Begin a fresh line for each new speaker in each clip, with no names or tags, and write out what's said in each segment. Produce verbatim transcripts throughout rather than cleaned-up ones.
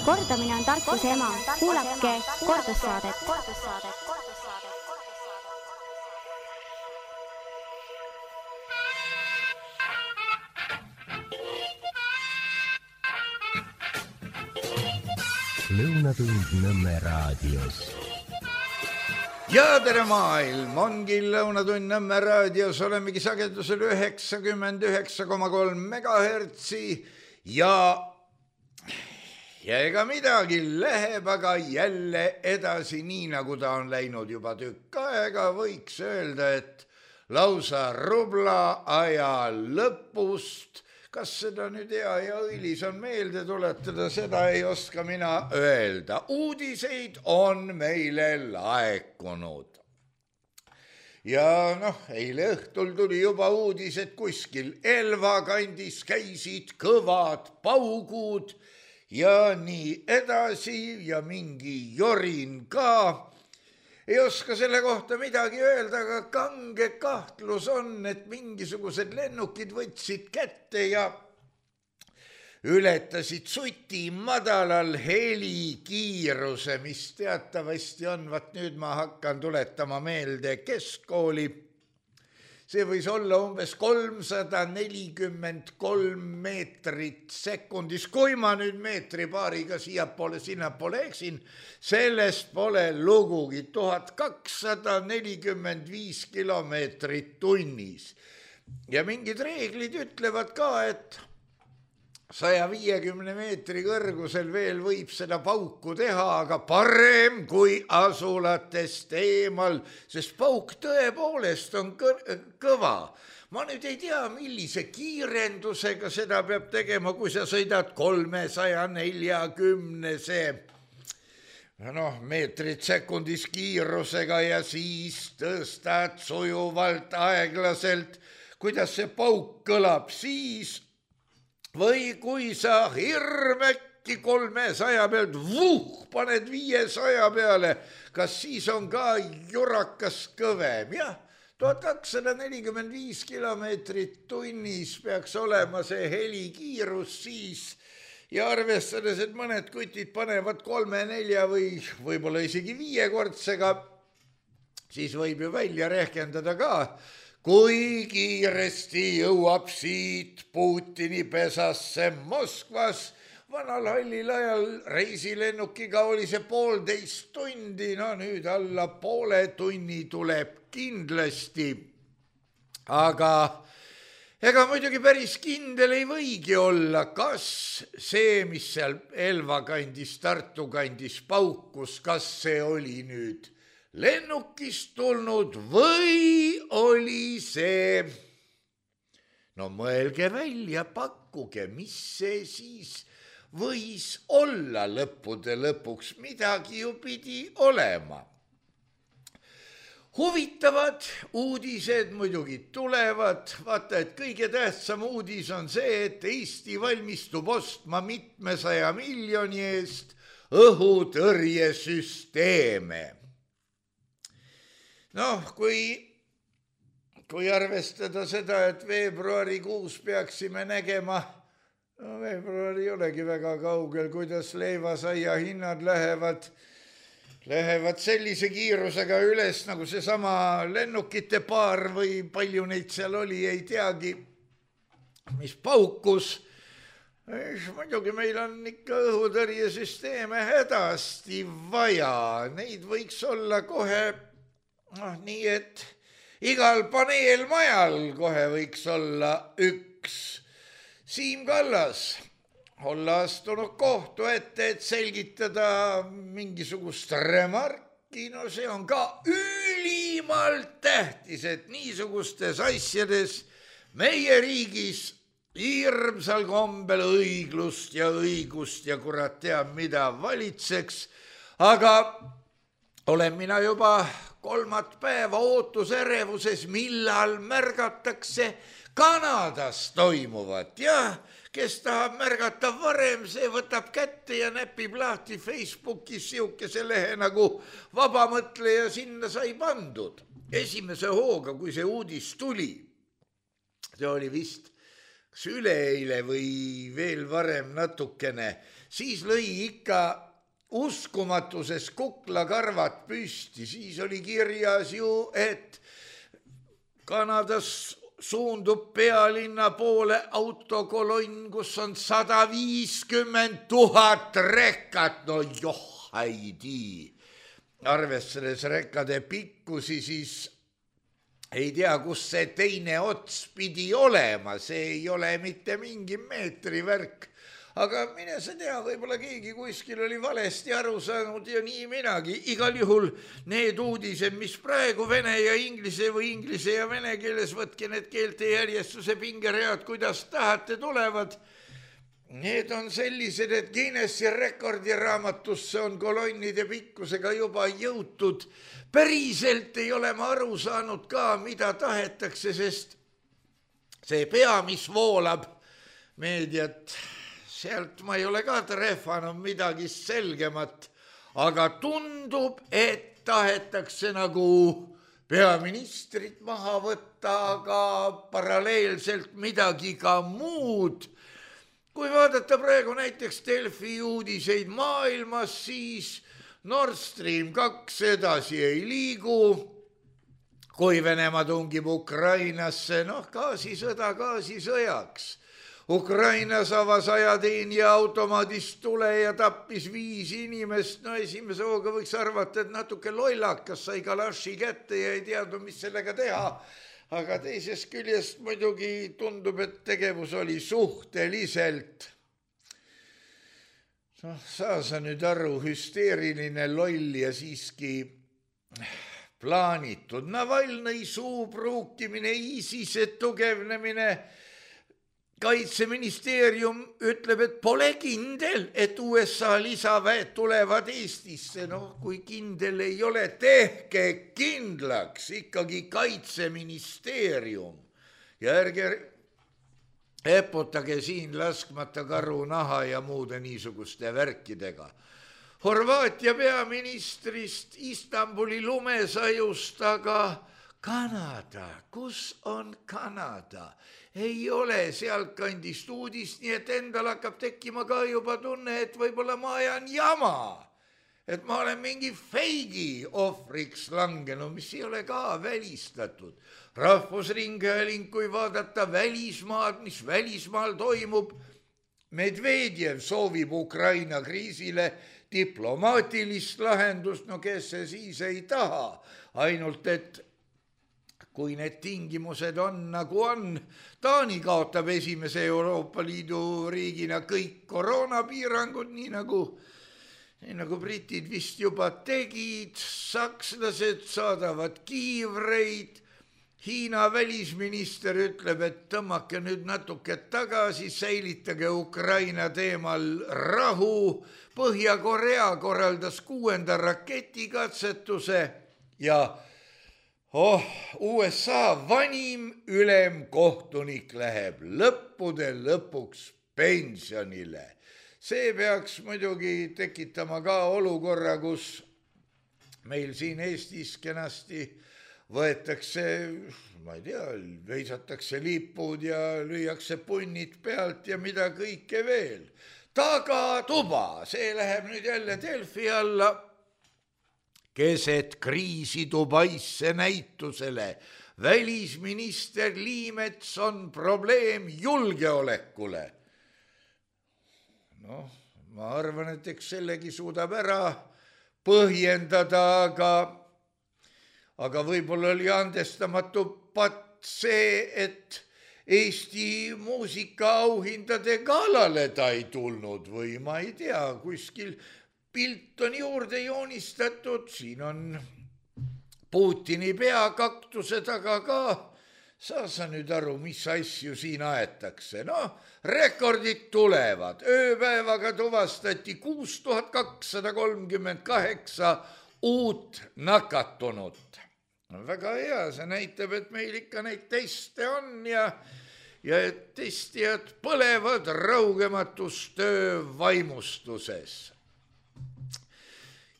Kordamine on tarkuse ema. Kuulake kordussaadet.
Lõunatund Nõmme raadios.
Ja tere maailm, ongi Lõunatund Nõmme raadios, olemegi sagedusel üheksakümmend üheksa koma kolm megahertsi ja, ja ega midagi läheb aga jälle edasi nii, nagu ta on läinud juba tükk aega, võiks öelda, et lausa rubla aja lõpust. Kas seda nüüd hea ja õilis on meelde tuletada, seda ei oska mina öelda. Uudiseid on meile laekunud. Ja noh, eile õhtul tuli juba uudis, et kuskil Elva kandis käisid kõvad paugud ja nii edasi ja mingi jorin ka. Ei oska selle kohta midagi öelda, aga kange kahtlus on, et mingisugused lennukid võtsid kätte ja ületasid suti madalal helikiiruse, mis teatavasti on, vaat nüüd ma hakkan tuletama meelde keskkooli. See võis olla umbes kolmsada nelikümmend kolm meetrit sekundis. Kui ma nüüd meetri paariga siiapoole, sinnapoole eksin, sellest pole lugugi. tuhat kakssada nelikümmend viis kilomeetrit tunnis. Ja mingid reeglid ütlevad ka, et saja viiekümne meetri kõrgusel veel võib seda pauku teha, aga parem kui asulatest eemal, sest pauk tõepoolest on kõva. Ma nüüd ei tea, millise kiirendusega seda peab tegema, kui sa sõidad kolmesaja neljakümnese noh, meetrit sekundis kiirusega ja siis tõstad sujuvalt aeglaselt, kuidas see pauk kõlab siis. Või kui sa hirmekki kolmesaja pealt, vuh, paned viiesaja peale, kas siis on ka jurakas kõvem? Jah, tuhat kakssada nelikümmend viis kilomeetrit tunnis peaks olema see helikiirus siis ja arvestades, et mõned kutid panevad kolme, nelja või võib-olla isegi viiekordsega, siis võib ju välja rehkendada ka, kui kiiresti jõuab siit Putini pesasse Moskvas. Vanal hallil ajal reisilennukiga oli see poolteist tundi, no nüüd alla poole tunni tuleb kindlasti. Aga ega muidugi päris kindel ei võigi olla, kas see, mis seal Elva kandis, Tartu kandis paukus, kas see oli nüüd lennukist tulnud või oli see, no mõelge välja, pakkuge, mis see siis võis olla lõppude lõpuks, midagi ju pidi olema. Huvitavad uudised muidugi tulevad, vaata, et kõige tähtsam uudis on see, et Eesti valmistub ostma mitmesaja miljoni eest õhutõrjesüsteeme. Noh, kui, kui arvestada seda, et veebruarikuus peaksime nägema, no veebruar ei olegi väga kaugel, kuidas leivasaia hinnad lähevad, lähevad sellise kiirusega üles, nagu see sama lennukite paar või palju neid seal oli, ei teagi, mis paukus. Muidugi meil on ikka õhutõrjesüsteeme hädasti vaja, neid võiks olla kohe. noh, nii et igal paneelmajal kohe võiks olla üks. Siim Kallas olla astunud kohtu ette, et selgitada mingisugust remarki, no see on ka ülimalt tähtis, et niisugustes asjades meie riigis hirmsal kombel õiglust ja õigust ja kurat teab mida valitseks, aga olen mina juba kolmat päeva ootuserevuses, millal märgatakse Kanadas toimuvat, jah, kes tahab märgata varem, see võtab kätte ja näpib lahti Facebookis siukese lehe nagu vabamõtleja, sinna sai pandud. Esimese hooga, kui see uudis tuli, see oli vist kas üleeile või veel varem natukene, siis lõi ikka uskumatuses kuklakarvad püsti, siis oli kirjas ju, et Kanadas suundub pealinna poole autokolonn, kus on sada viiskümmend tuhat rekkat, no joh, haidi. Arvestades rekkade pikkusi, siis ei tea, kus see teine ots pidi olema, see ei ole mitte mingi meetri värk. Aga mine sa tea, võib-olla keegi kuskil oli valesti aru saanud ja nii minagi. Igal juhul need uudised, mis praegu vene ja inglise või inglise ja vene keeles, võtke need keelte järjestuse pingeread, kuidas tahate, tulevad. Need on sellised, et Guinessi rekordiraamatusse on kolonnide pikkusega juba jõutud. Päriselt ei ole ma aru saanud ka, mida tahetakse, sest see pea, mis voolab meediat, sealt ma ei ole ka trehvanud midagi selgemat, aga tundub, et tahetakse nagu peaministrit maha võtta, aga paralleelselt midagi ka muud. Kui vaadata praegu näiteks Delfi uudiseid maailmas, siis Nord Stream kaks edasi ei liigu, kui Venemaa tungib Ukrainasse, noh, gaasisõda gaasisõjaks. Ukrainas avas ajateenija automaadist tule ja tappis viis inimest, no esimese hooga võiks arvata, et natuke lollakas sai kalaši kätte ja ei teadnud, mis sellega teha. Aga teisest küljest muidugi tundub, et tegevus oli suhteliselt, noh, saa sa nüüd aru, hüsteeriline, loll ja siiski plaanitud. Navalnõi suu pruukimine, ISISe tugevnemine. Kaitseministeerium ütleb, et pole kindel, et U S A lisaväed tulevad Eestisse. No, kui kindel ei ole, tehke kindlaks ikkagi Kaitseministeerium. Ja ärge eputage siin laskmata karu naha ja muude niisuguste värkidega. Horvaatia peaministrist Istanbuli lumesajust, aga Kanada, kus on Kanada? Ei ole sealtkandist uudist, nii et endal hakkab tekkima ka juba tunne, et võib-olla ma ajan jama. Et ma olen mingi feigi ohvriks langenud, mis ei ole ka välistatud. Rahvusringhääling, kui vaadata välismaad, mis välismaal toimub, Medvedjev soovib Ukraina kriisile diplomaatilist lahendust, no kes see siis ei taha, ainult et kui need tingimused on nagu on, Taani kaotab esimese Euroopa Liidu riigina kõik koroonapiirangud, nii nagu, nii nagu britid vist juba tegid, sakslased saadavad kiivreid, Hiina välisminister ütleb, et tõmmake nüüd natuke tagasi, säilitage Ukraina teemal rahu, Põhja-Korea korraldas kuuenda raketikatsetuse ja oh, U S A vanim ülemkohtunik läheb lõppude lõpuks pensionile. See peaks muidugi tekitama ka olukorra, kus meil siin Eestis kenasti võetakse, ma ei tea, veisatakse lipud ja lüüakse punnid pealt ja mida kõike veel. Tagatuba, see läheb nüüd jälle Delfi alla. Keset kriisi Dubaisse näitusele. Välisminister Liimets on probleem julgeolekule. Noh, ma arvan, et eks sellegi suudab ära põhjendada, aga, aga võib-olla oli andestamatu patt see, et Eesti muusikaauhindade galale ta ei tulnud või ma ei tea, kuskil pilt on juurde joonistatud, siin on Putini pea kaktuse taga ka. Saa sa nüüd aru, mis asju siin aetakse? No, rekordid tulevad. Ööpäevaga tuvastati kuus tuhat kakssada kolmkümmend kaheksa uut nakatunut. Väga hea, see näitab, et meil ikka neid teste on ja, ja et testijad põlevad raugematus töö vaimustuses.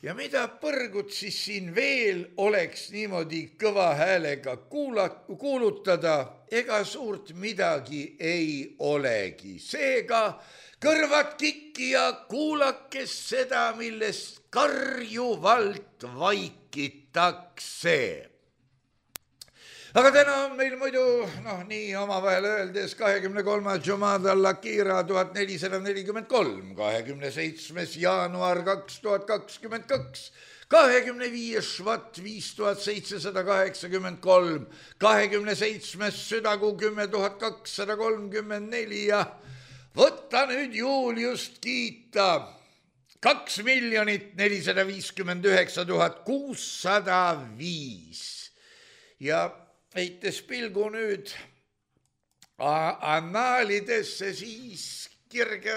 ja mida põrgut siis siin veel oleks niimoodi kõva häälega kuula, kuulutada, ega suurt midagi ei olegi. Seega kõrvad kikki ja kuulakes seda, millest karjuvalt vaikitakse. Aga täna on meil muidu, noh nii omavahel öeldes, kahekümne kolmas Jumada al-Akira tuhat nelisada nelikümmend kolm, kahekümne seitsmes jaanuar kaks tuhat kakskümmend kaks, kahekümne viies Švat viis tuhat seitsesada kaheksakümmend kolm, kahekümne seitsmes südakuu kümme tuhat kakssada kolmkümmend neli ja võta nüüd Juliust kiita. Kaks miljonit nelisada viiskümmend üheksa tuhat kuussada viis ja heites pilgu nüüd annaalidesse, siis kirge,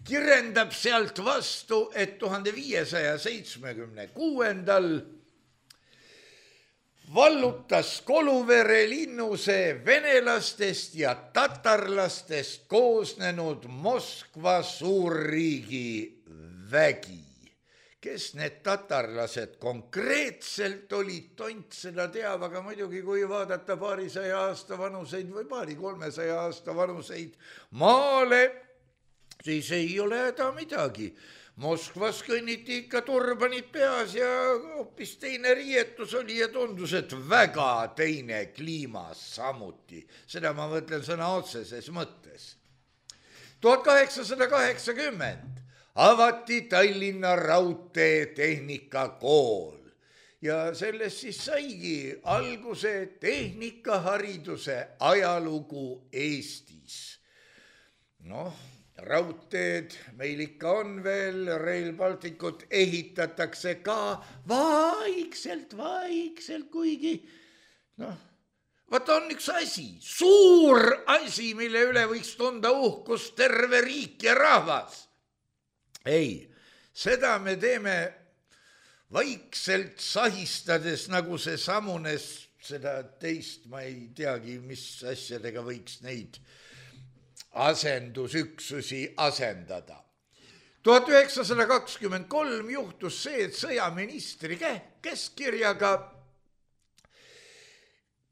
kirendab sealt vastu, et tuhande viiesaja seitsmekümne kuuendal vallutas Koluvere linnuse venelastest ja tatarlastest koosnenud Moskva suurriigi vägi. Kes need tatarlased konkreetselt olid, tont seda teab, aga muidugi kui vaadata paarisaja aasta vanuseid või paari kolmesaja aasta vanuseid maale, siis ei ole häda midagi. Moskvas kõnniti ikka turbanid peas ja hoopis teine riietus oli ja tundus, et väga teine kliima samuti. Seda ma mõtlen sõna otseses mõttes. tuhat kaheksasada kaheksakümmend avati Tallinna raudtee tehnikakool ja sellest siis saigi alguse tehnikahariduse ajalugu Eestis. Noh, raudteed meil ikka on veel, Rail Balticut ehitatakse ka vaikselt, vaikselt, kuigi noh, vaata on üks asi, suur asi, mille üle võiks tunda uhkust terve riik ja rahvas. Ei, seda me teeme vaikselt sahistades, nagu see samunes seda teist, ma ei teagi, mis asjadega võiks neid asendusüksusi asendada. tuhat üheksasada kakskümmend kolm juhtus see, et sõjaministri käskkirjaga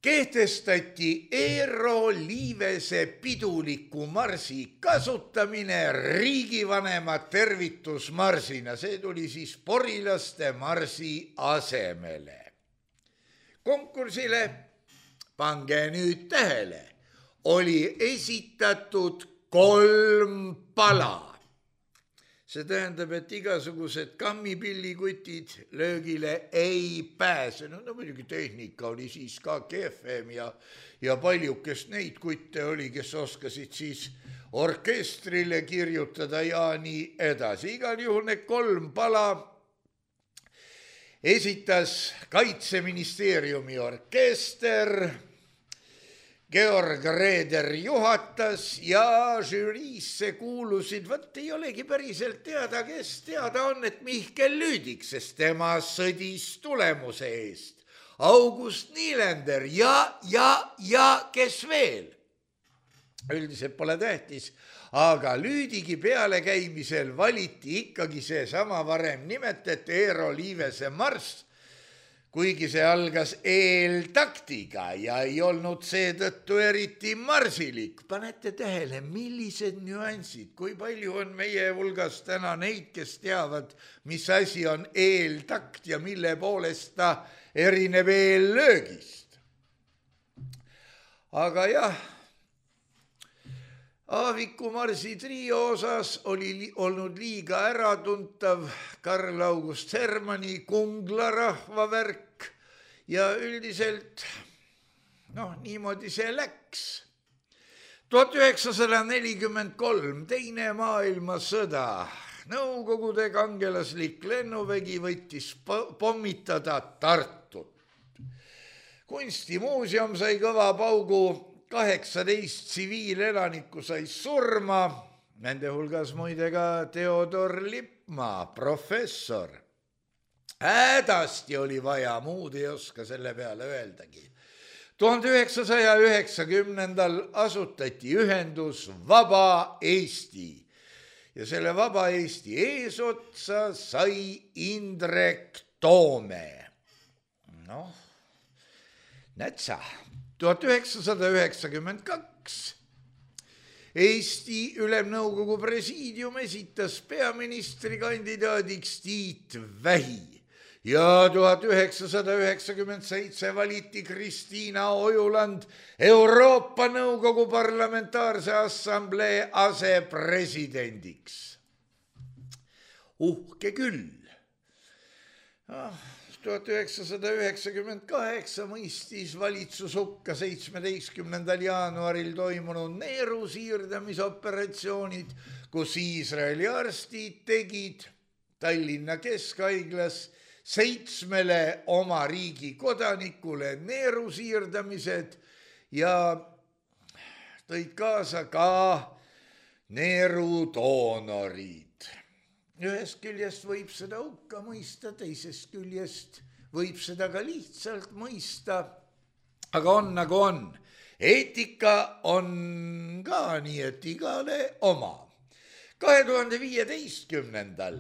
kehtestati Eero Liivese piduliku marsi kasutamine riigivanema tervitusmarsina. See tuli siis porilaste marsi asemele. Konkursile, pange nüüd tähele, oli esitatud kolm pala. See tähendab, et igasugused kammipillikutid löögile ei pääse. No, no muidugi tehnika oli siis ka kehvem ja, ja paljukest neid kutte oli, kes oskasid siis orkestrile kirjutada ja nii edasi. Igal juhul need kolm pala esitas Kaitseministeeriumi orkester, Georg Reeder juhatas ja žüriisse kuulusid, võt ei olegi päriselt teada, kes teada on, et Mihkel Lüüdik, sest tema sõdis tulemuse eest. August Niilender ja, ja, ja kes veel? Üldiselt pole tähtis, aga Lüüdigi pealekäimisel valiti ikkagi see sama varem nimetati Eero Liivese marss, kuigi see algas eeltaktiga ja ei olnud seetõttu eriti marsilik. Panete tähele, millised nüansid, kui palju on meie hulgas täna neid, kes teavad, mis asi on eeltakt ja mille poolest ta erineb eellöögist. Aga jah, Aaviku marsi trio osas oli li- olnud liiga äratuntav Karl August Hermanni Kungla rahvavärk ja üldiselt, noh, niimoodi see läks. tuhat üheksasada nelikümmend kolm, teine maailmasõda, Nõukogude kangelaslik lennuvägi võttis pommitada Tartut. Kunstimuuseum sai kõva paugu, kaheksateist tsiviilelanikku sai surma, nende hulgas muide ka Theodor Lippmaa, professor. Hädasti oli vaja, muud ei oska selle peale öeldagi. tuhande üheksasaja üheksakümnendal asutati ühendus Vaba Eesti ja selle Vaba Eesti eesotsa sai Indrek Toome. Noh, nätsa, tuhat üheksasada üheksakümmend kaks Eesti Ülemnõukogu presiidium esitas peaministrikandidaadiks Tiit Vähi ja tuhat üheksasada üheksakümmend seitse valiti Kristiina Ojuland Euroopa Nõukogu Parlamentaarse Assamblee asepresidendiks. Uhke küll. tuhat üheksasada üheksakümmend kaheksa mõistis valitsus hukka seitsmeteistkümnendal jaanuaril toimunud neeru siirdamisoperatsioonid, kus Iisraeli arstid tegid Tallinna Keskhaiglas seitsmele oma riigi kodanikule neeru siirdamised ja tõid kaasa ka neeru doonorid. Ühest küljest võib seda hukka mõista, teisest küljest võib seda ka lihtsalt mõista, aga on nagu on. Eetika on ka nii, et igale oma. kahe tuhande viieteistkümnendal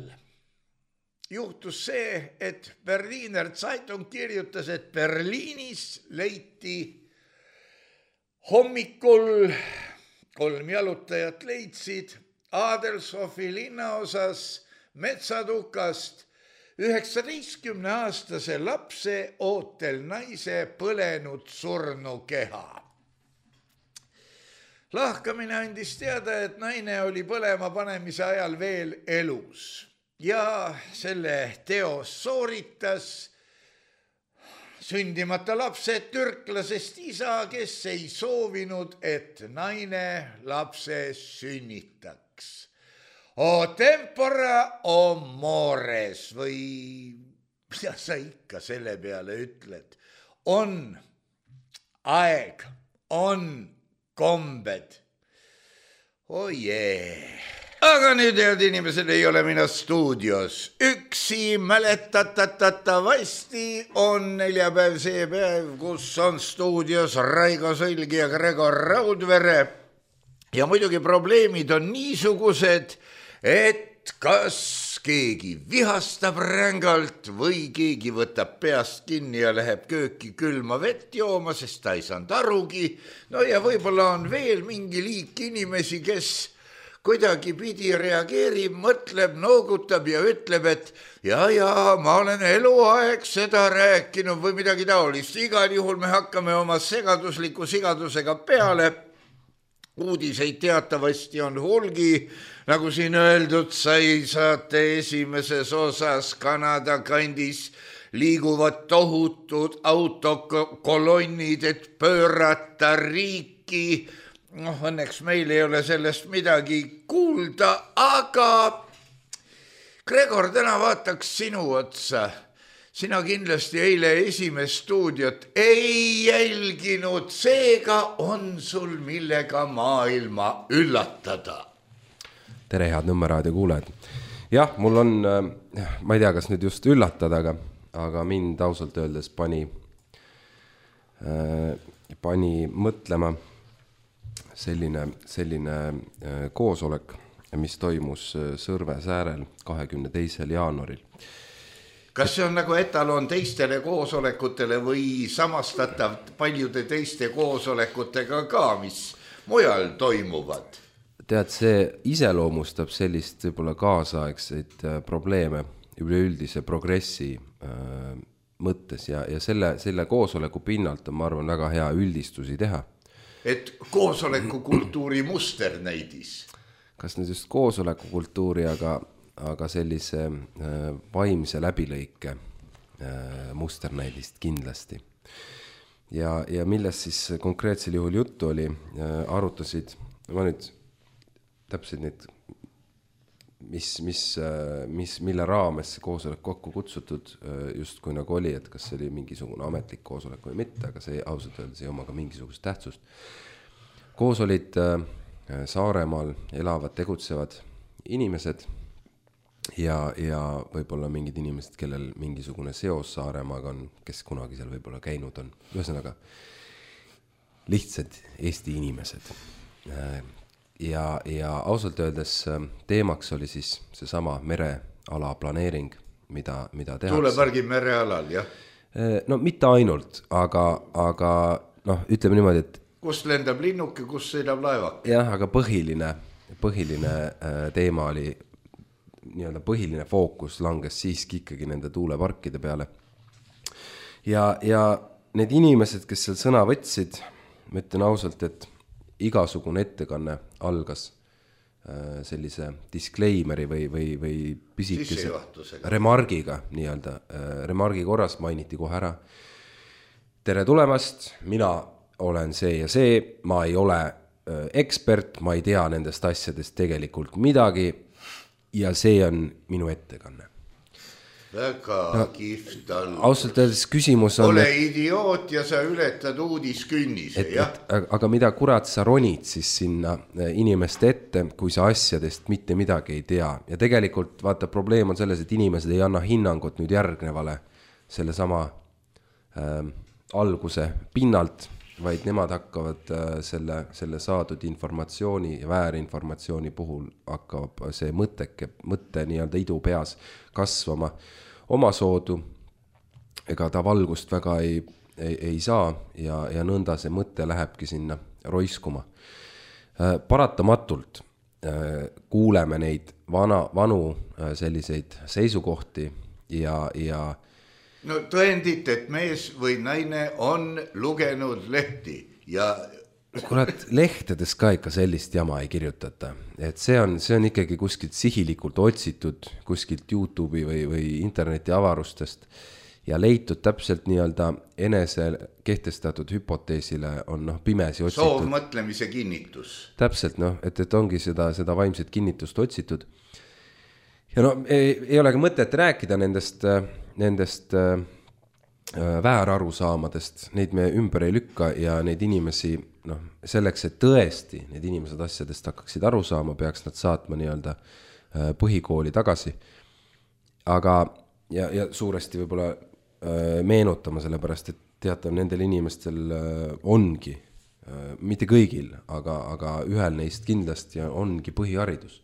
juhtus see, et Berliner Zeitung kirjutas, et Berliinis leiti hommikul kolm jalutajat leidsid Adelshofi linnaosas metsatukast üheksateistkümne aastase lapse ootel naise põlenud surnu keha. Lahkamine andis teada, et naine oli põlema panemise ajal veel elus ja selle teos sooritas sündimata lapse türklasest isa, kes ei soovinud, et naine lapse sünnitaks. O tempora o mores või mida sa ikka selle peale ütled. On aeg, on kombed. Oh jee. Aga nüüd, head inimesed, ei ole mina stuudios. Üksi mäletatatavasti on neljapäev see päev, kus on stuudios Raigo Sõlg ja Gregor Raudvere. Ja muidugi probleemid on niisugused, et kas keegi vihastab rängalt või keegi võtab peast kinni ja läheb kööki külma vett jooma, sest ta ei saanud arugi. No ja võib-olla on veel mingi liik inimesi, kes kuidagi pidi reageerib, mõtleb, noogutab ja ütleb, et ja, ja ma olen eluaeg seda rääkinud või midagi taolist. Igal juhul me hakkame oma segadusliku sigadusega peale. Uudiseid teatavasti on hulgi, nagu siin öeldud sai saate esimeses osas Kanada kandis liiguvad tohutud autokolonnid, et pöörata riiki. Noh, õnneks meil ei ole sellest midagi kuulda, aga Gregor, täna vaataks sinu otsa. Sina kindlasti eile esimest stuudiot ei jälginud, seega on sul millega maailma üllatada.
Tere, head Nõmmeraadio kuulajad. Jah, mul on, ma ei tea, kas nüüd just üllatada, aga, aga mind ausalt öeldes pani, pani mõtlema selline, selline koosolek, mis toimus Sõrve säärel kahekümne teisel jaanuaril.
Kas see on nagu etalon teistele koosolekutele või samastatav paljude teiste koosolekutega ka, mis mujal toimuvad?
Tead, see iseloomustab sellist võib-olla kaasaegseid probleeme üleüldise progressi äh, mõttes ja, ja selle, selle koosoleku pinnalt on, ma arvan, väga hea üldistusi teha.
Et koosolekukultuuri musternäidis?
Kas nüüd just koosolekukultuuri, aga aga sellise äh, vaimse läbilõike äh, musternäidist kindlasti. Ja, ja millest siis konkreetsel juhul juttu oli, äh, arutasid, ma nüüd täpselt need, mis, mis, äh, mis, mille raames see koosolek kokku kutsutud äh, just kui nagu oli, et kas see oli mingisugune ametlik koosolek või mitte, aga see ausalt öeldes ei oma ka mingisugust tähtsust. Koos olid äh, Saaremaal elavad, tegutsevad inimesed, Ja, ja võib-olla mingid inimesed, kellel mingisugune seos Saaremaaga on, kes kunagi seal võib-olla käinud on. Ühesõnaga, lihtsad Eesti inimesed. ja, ja ausalt öeldes teemaks oli siis seesama mereala planeering, mida, mida tehakse.
Tuulepargi merealal, jah?
No mitte ainult, aga, aga noh, ütleme niimoodi, et
kus lendab linnuke, kus sõidab laevak?
jah, aga põhiline, põhiline teema oli, nii-öelda põhiline fookus langes siiski ikkagi nende tuuleparkide peale. Ja, ja need inimesed, kes seal sõna võtsid, ma ütlen ausalt, et igasugune ettekanne algas sellise disclaimeri või, või, või pisikese remargiga, nii-öelda remargi korras mainiti kohe ära. Tere tulemast, mina olen see ja see, ma ei ole ekspert, ma ei tea nendest asjadest tegelikult midagi ja see on minu ettekanne.
Väga no, kihvt all.
Ausalt öeldes küsimus on...
Ole idioot ja sa ületad uudiskünnise,
et,
jah?
Et, aga mida kurat sa ronid siis sinna inimeste ette, kui sa asjadest mitte midagi ei tea. Ja tegelikult, vaata, probleem on selles, et inimesed ei anna hinnangut nüüd järgnevale selle sama äh, alguse pinnalt, vaid nemad hakkavad äh, selle, selle saadud informatsiooni ja väärinformatsiooni puhul hakkab see mõtteke, mõtte nii-öelda idu peas kasvama oma soodu, ega ta valgust väga ei, ei, ei saa ja, ja nõnda see mõte lähebki sinna roiskuma. Äh, paratamatult äh, kuuleme neid vana, vanu äh, selliseid seisukohti ja, ja
no tõendit, et mees või naine on lugenud lehti ja...
Kurat, lehtedes ka ikka sellist jama ei kirjutata. Et see on, see on ikkagi kuskilt sihilikult otsitud, kuskilt YouTube'i või, või interneti avarustest ja leitud täpselt nii-öelda enese kehtestatud hüpoteesile on noh, pimesi otsitud.
Soovmõtlemise kinnitus.
Täpselt, noh, et, et ongi seda, seda vaimset kinnitust otsitud. Ja no ei, ei ole ka mõtet rääkida nendest, nendest äh, väärarusaamadest, neid me ümber ei lükka ja neid inimesi, noh, selleks, et tõesti need inimesed asjadest hakkaksid aru saama, peaks nad saatma nii-öelda äh, põhikooli tagasi. Aga, ja, ja suuresti võib-olla äh, meenutama sellepärast, et teatav nendel inimestel äh, ongi, äh, mitte kõigil, aga, aga ühel neist kindlasti ongi põhiharidus.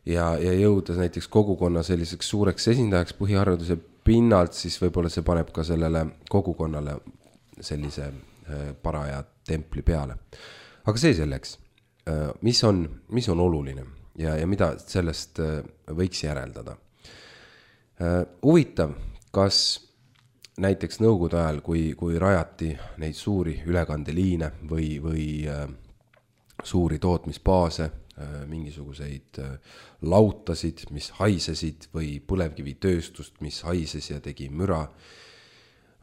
Ja, ja jõuda näiteks kogukonna selliseks suureks esindajaks põhihariduse pinnalt, siis võib-olla see paneb ka sellele kogukonnale sellise äh, paraja templi peale. Aga see selleks, äh, mis, on, mis on oluline ja, ja mida sellest äh, võiks järeldada. Äh, huvitav, kas näiteks nõukogude ajal, kui, kui rajati neid suuri ülekandeliine või, või äh, suuri tootmisbaase, mingisuguseid lautasid, mis haisesid või põlevkivitööstust, mis haises ja tegi müra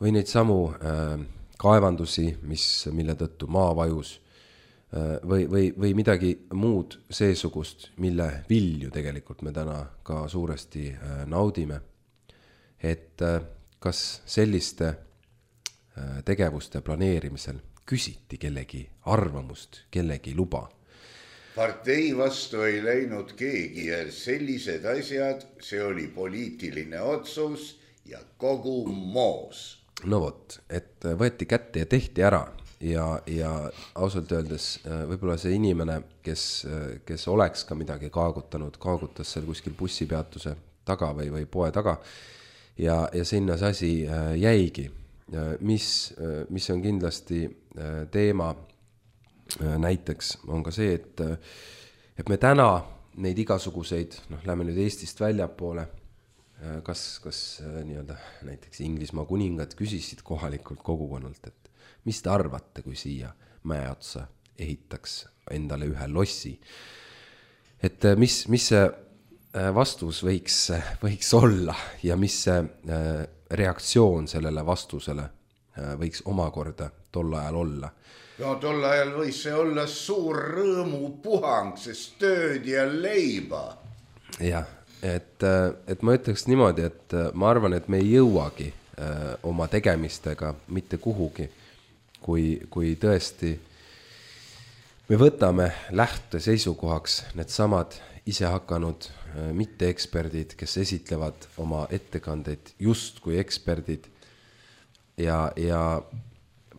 või neid samu äh, kaevandusi, mis, mille tõttu maa vajus äh, või, või, või midagi muud seesugust, mille vilju tegelikult me täna ka suuresti äh, naudime. Et äh, kas selliste äh, tegevuste planeerimisel küsiti kellegi arvamust, kellegi luba?
Partei vastu ei läinud keegi ja sellised asjad, see oli poliitiline otsus ja kogu moos.
No vot, et võeti kätte ja tehti ära ja, ja ausalt öeldes võib-olla see inimene, kes, kes oleks ka midagi kaagutanud, kaagutas seal kuskil bussipeatuse taga või, või poe taga ja, ja sinna see asi jäigi, mis, mis on kindlasti teema. Näiteks on ka see, et, et me täna neid igasuguseid, noh, lähme nüüd Eestist väljapoole, kas, kas nii-öelda näiteks Inglismaa kuningad küsisid kohalikult kogukonnalt, et mis te arvate, kui siia mäe otsa ehitaks endale ühe lossi. Et mis, mis see vastus võiks, võiks olla ja mis see reaktsioon sellele vastusele võiks omakorda tol ajal olla.
No tol ajal võis see olla suur rõõmu puhang, sest tööd ja leiba.
Jah, et, et ma ütleks niimoodi, et ma arvan, et me ei jõuagi oma tegemistega mitte kuhugi, kui, kui tõesti me võtame lähte seisukohaks need samad ise hakanud mitteeksperdid, kes esitlevad oma ettekandeid just kui eksperdid ja, ja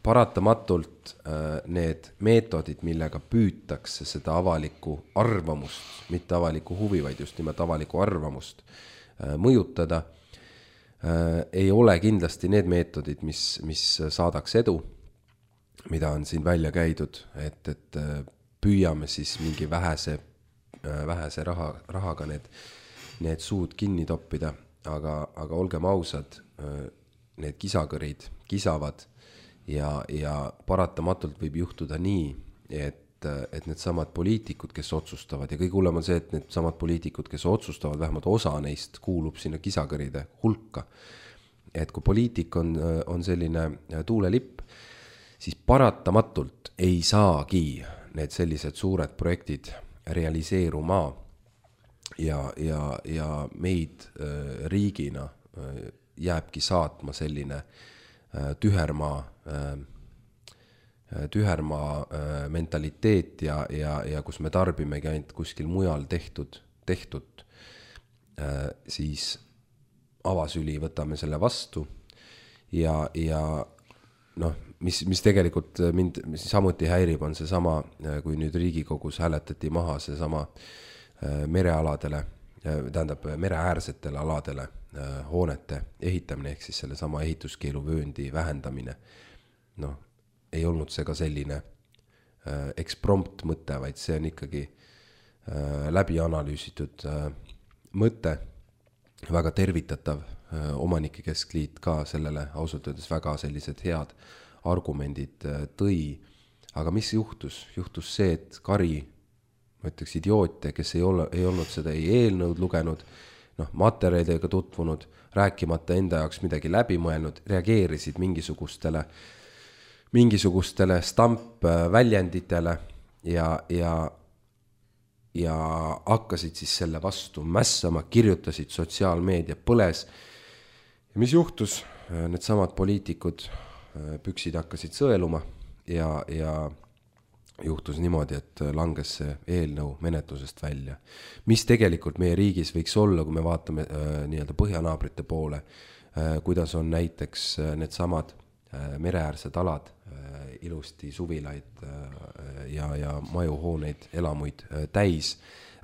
paratamatult need meetodid, millega püütakse seda avalikku arvamust, mitte avalikku huvi, vaid just nimelt avalikku arvamust mõjutada, ei ole kindlasti need meetodid, mis, mis saadaks edu, mida on siin välja käidud, et, et püüame siis mingi vähese, vähese raha, rahaga need, need suud kinni toppida, aga, aga olgem ausad, need kisakõrid kisavad ja, ja paratamatult võib juhtuda nii, et, et need samad poliitikud, kes otsustavad, ja kõige hullem on see, et need samad poliitikud, kes otsustavad, vähemalt osa neist kuulub sinna kisakõride hulka. Et kui poliitik on, on selline tuulelipp, siis paratamatult ei saagi need sellised suured projektid realiseeruma ja, ja, ja meid riigina jääbki saatma selline tühermaa, tühermaa mentaliteet ja, ja, ja kus me tarbimegi ainult kuskil mujal tehtud, tehtud, siis avasüli võtame selle vastu ja, ja noh, mis, mis tegelikult mind samuti häirib, on see sama, kui nüüd Riigikogus hääletati maha see sama merealadele, tähendab mereäärsetele aladele hoonete ehitamine, ehk siis selle sama ehituskeeluvööndi vähendamine. Noh, ei olnud see ka selline eksprompt mõte, vaid see on ikkagi läbi analüüsitud mõte, väga tervitatav. Omanike keskliit ka sellele ausalt öeldes väga sellised head argumendid tõi. Aga mis juhtus? Juhtus see, et kari, ma ütleks idioote, kes ei, ole, ei olnud seda ei eelnõud lugenud, noh, materjalidega tutvunud, rääkimata enda jaoks midagi läbi mõelnud, reageerisid mingisugustele, mingisugustele stampväljenditele ja, ja, ja hakkasid siis selle vastu mässama, kirjutasid sotsiaalmeedia põles. Ja mis juhtus? Need samad poliitikud püksid hakkasid sõeluma ja, ja juhtus niimoodi, et langes see eelnõu menetlusest välja. Mis tegelikult meie riigis võiks olla, kui me vaatame äh, nii-öelda põhjanaabrite poole, äh, kuidas on näiteks äh, need samad äh, mereäärsed alad, äh, ilusti suvilaid äh, ja, ja majuhooneid, elamuid äh, täis.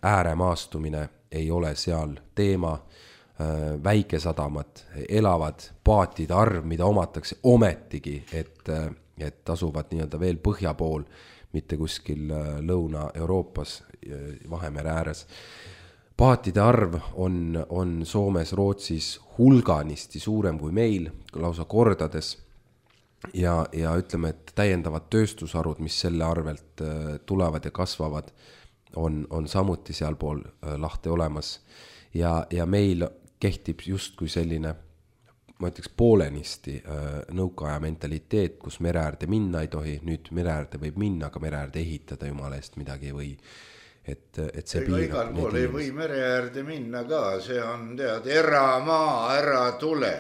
Ääremaastumine ei ole seal teema, äh, väikesadamad elavad, paatide arv, mida omatakse ometigi, et, äh, et asuvad nii-öelda veel põhja pool, mitte kuskil Lõuna-Euroopas Vahemere ääres. Paatide arv on, on Soomes, Rootsis hulganisti suurem kui meil, lausa kordades. Ja, ja ütleme, et täiendavad tööstusharud, mis selle arvelt tulevad ja kasvavad, on, on samuti sealpool lahti olemas. Ja, ja meil kehtib just kui selline, ma ütleks poolenisti nõukaaja mentaliteet, kus mereäärde minna ei tohi, nüüd mereäärde võib minna, aga mereäärde ehitada jumala eest midagi ei või. Et, et see
Ega igal pool ei või mereäärde minna ka, see on tead, eramaa, ära tule.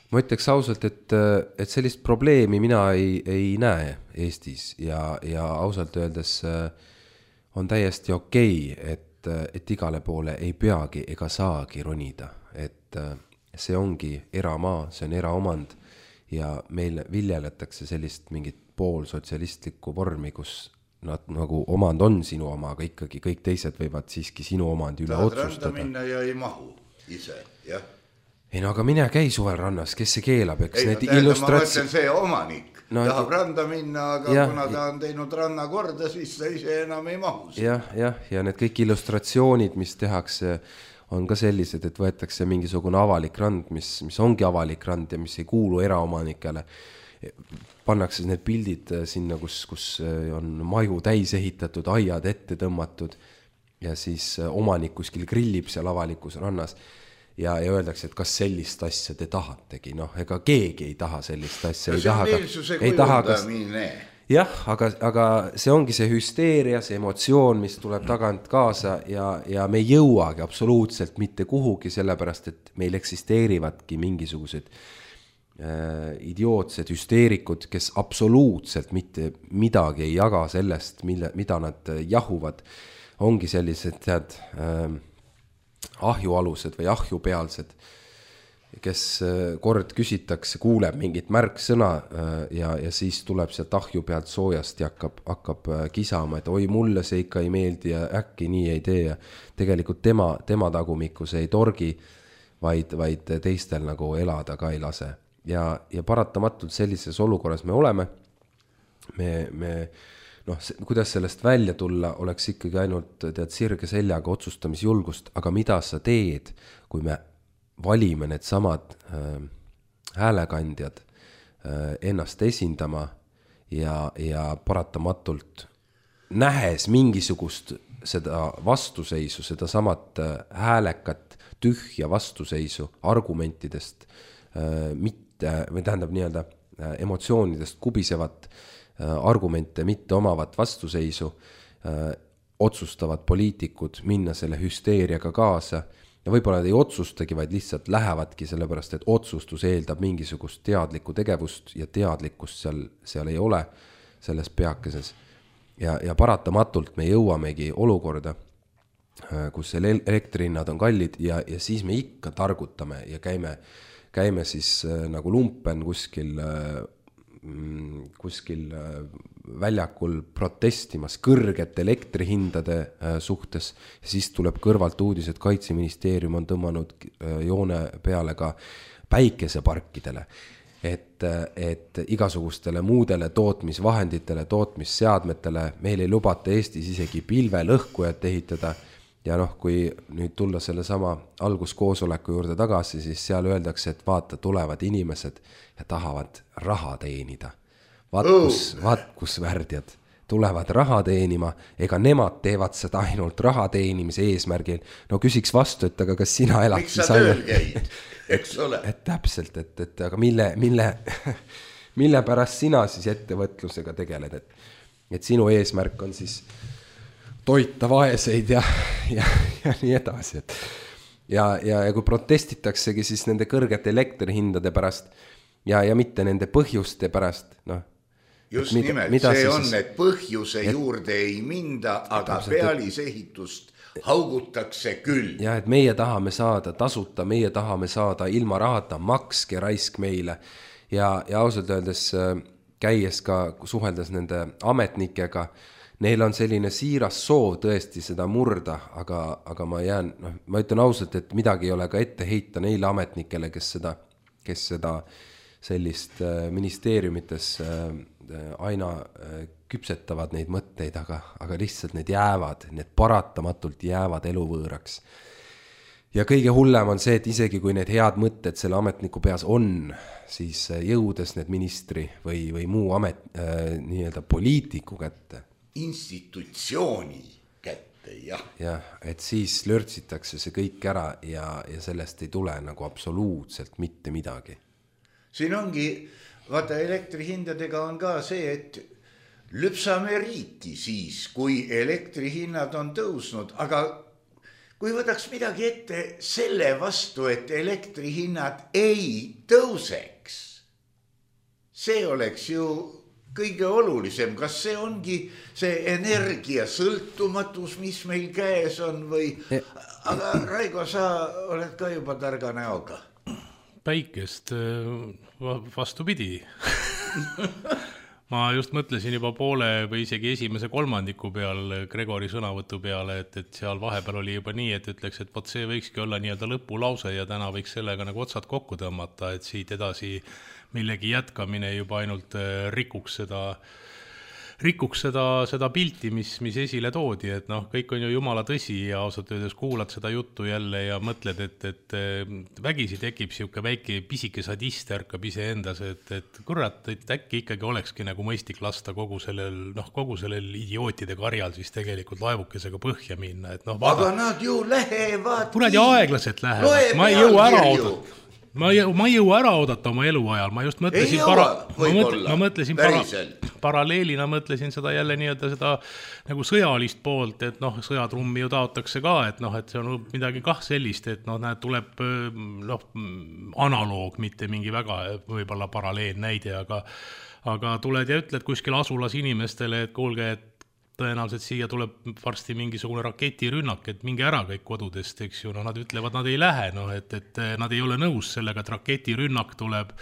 Ma ütleks ausalt, et, et sellist probleemi mina ei, ei näe Eestis ja, ja ausalt öeldes on täiesti okei, et, et igale poole ei peagi ega saagi ronida, et see ongi eramaa, see on eraomand ja meil viljeletakse sellist mingit poolsotsialistlikku vormi, kus nad nagu omand on sinu oma, aga ikkagi kõik teised võivad siiski sinu omandi üle
Tahad
otsustada.
Tahad randa minna ja ei mahu ise, jah?
Ei no aga mine käi suvel rannas, kes see keelab, eks
ei,
need
no,
illustratsi...
ma mõtlen see omanik, no, tahab randa minna, aga ja, kuna ta on teinud ranna korda, siis ta ise enam ei mahu.
Jah, jah, ja need kõik illustratsioonid, mis tehakse, on ka sellised, et võetakse mingisugune avalik rand, mis, mis ongi avalik rand ja mis ei kuulu eraomanikele. Pannakse need pildid sinna, kus, kus on maju täis ehitatud, aiad ette tõmmatud ja siis omanik kuskil grillib seal avalikus rannas ja, ja öeldakse, et kas sellist asja te tahategi. Noh, ega keegi ei taha sellist asja.
Ja see on meelsuse kujundamine.
Jah, aga, aga see ongi see hüsteeria, see emotsioon, mis tuleb tagant kaasa ja, ja me ei jõuagi absoluutselt mitte kuhugi, sellepärast, et meil eksisteerivadki mingisugused äh, idiootsed hüsteerikud, kes absoluutselt mitte midagi ei jaga sellest, mille, mida nad jahuvad. Ongi sellised tead, äh, ahjualused või ahjupealsed. kes kord küsitakse, kuuleb mingit märksõna ja, ja siis tuleb sealt ahju pealt soojast ja hakkab, hakkab kisama, et oi, mulle see ikka ei meeldi ja äkki nii ei tee ja tegelikult tema, tema tagumikus ei torgi, vaid, vaid teistel nagu elada ka ei lase. Ja, ja paratamatult sellises olukorras me oleme, me, me noh, kuidas sellest välja tulla, oleks ikkagi ainult tead sirge seljaga otsustamisjulgust, aga mida sa teed, kui me valime need samad äh, häälekandjad äh, ennast esindama ja, ja paratamatult nähes mingisugust seda vastuseisu, seda samat äh, häälekat tühja vastuseisu argumentidest, äh, mitte, või tähendab nii-öelda äh, emotsioonidest kubisevat äh, argumente mitte omavat vastuseisu, äh, otsustavad poliitikud minna selle hüsteeriaga kaasa. Ja võib-olla nad ei otsustagi, vaid lihtsalt lähevadki sellepärast, et otsustus eeldab mingisugust teadlikku tegevust ja teadlikkust seal, seal ei ole selles peakeses. Ja, ja paratamatult me jõuamegi olukorda, kus elektrihinnad on kallid ja, ja siis me ikka targutame ja käime, käime siis nagu lumpen kuskil, kuskil väljakul protestimas kõrgete elektrihindade suhtes ja siis tuleb kõrvalt uudis, et Kaitseministeerium on tõmmanud joone peale ka päikeseparkidele, et, et igasugustele muudele tootmisvahenditele, tootmisseadmetele meil ei lubata Eestis isegi pilvelõhkujat ehitada ja noh, kui nüüd tulla selle sama alguskoosoleku juurde tagasi, siis seal öeldakse, et vaata, tulevad inimesed ja tahavad raha teenida. Vaat kus, vaat kus värdjad tulevad raha teenima, ega nemad teevad seda ainult raha teenimise eesmärgil. No küsiks vastu, et aga kas sina elad?
Miks sa tööl käid, eks ole?
Et täpselt, et, et aga mille, mille, mille pärast sina siis ettevõtlusega tegeled, et, et sinu eesmärk on siis toita vaeseid ja, ja, ja nii edasi. Et, ja, ja, ja kui protestitaksegi siis nende kõrgete elektrihindade pärast ja, ja mitte nende põhjuste pärast, noh,
just mida, nimelt, mida see on, siis, et põhjuse et, juurde ei minda, aga täpselt, pealisehitust haugutakse küll.
Ja, et meie tahame saada tasuta, meie tahame saada ilma rahata, makske raisk meile. Ja, ja ausalt öeldes käies ka suheldes nende ametnikega, neil on selline siiras soov tõesti seda murda, aga, aga ma jään, noh, ma ütlen ausalt, et midagi ei ole ka ette heita neile ametnikele, kes seda, kes seda sellist ministeeriumites aina küpsetavad neid mõtteid, aga, aga lihtsalt need jäävad, need paratamatult jäävad eluvõõraks. Ja kõige hullem on see, et isegi kui need head mõtted selle ametniku peas on, siis jõudes need ministri või, või muu amet, äh, nii-öelda poliitiku kätte.
Institutsiooni kätte, jah.
Jah, et siis lörtsitakse see kõik ära ja, ja sellest ei tule nagu absoluutselt mitte midagi.
Siin ongi, vaata elektrihindadega on ka see, et lüpsame riiki siis, kui elektrihinnad on tõusnud, aga kui võtaks midagi ette selle vastu, et elektrihinnad ei tõuseks, see oleks ju kõige olulisem. Kas see ongi see energia sõltumatus, mis meil käes on või, aga Raigo, sa oled ka juba targa näoga.
Päikest vastupidi. Ma just mõtlesin juba poole või isegi esimese kolmandiku peal Gregori sõnavõtu peale, et, et seal vahepeal oli juba nii, et ütleks, et pot see võikski olla nii-öelda lõpulause ja täna võiks sellega nagu otsad kokku tõmmata, et siit edasi millegi jätkamine juba ainult rikuks seda, rikuks seda, seda pilti, mis, mis esile toodi, et noh, kõik on ju jumala tõsi ja ausalt öeldes kuulad seda juttu jälle ja mõtled, et, et vägisi tekib siuke väike pisike sadist ärkab ise endas, et, et kurat, et äkki ikkagi olekski nagu mõistik lasta kogu sellel, noh, kogu sellel idiootide karjal siis tegelikult laevukesega põhja minna, et noh.
Aga nad ju lähevad.
Kurat ja aeglaselt lähevad, ma ei jõua ära oodata. Ma ei, ma ei jõua ära oodata oma eluajal, ma just mõtlesin, para, ma mõtlesin, ma mõtlesin para, paralleelina mõtlesin seda jälle nii-öelda seda nagu sõjalist poolt, et noh, sõjatrummi ju taotakse ka, et noh, et see on midagi kah sellist, et noh, näed, tuleb noh, analoog, mitte mingi väga võib-olla paralleel näide, aga, aga tuled ja ütled kuskil asulas inimestele, et kuulge, et tõenäoliselt siia tuleb varsti mingisugune raketirünnak, et mingi ära kõik kodudest, eks ju, no nad ütlevad, nad ei lähe, noh, et, et nad ei ole nõus sellega, et raketirünnak tuleb.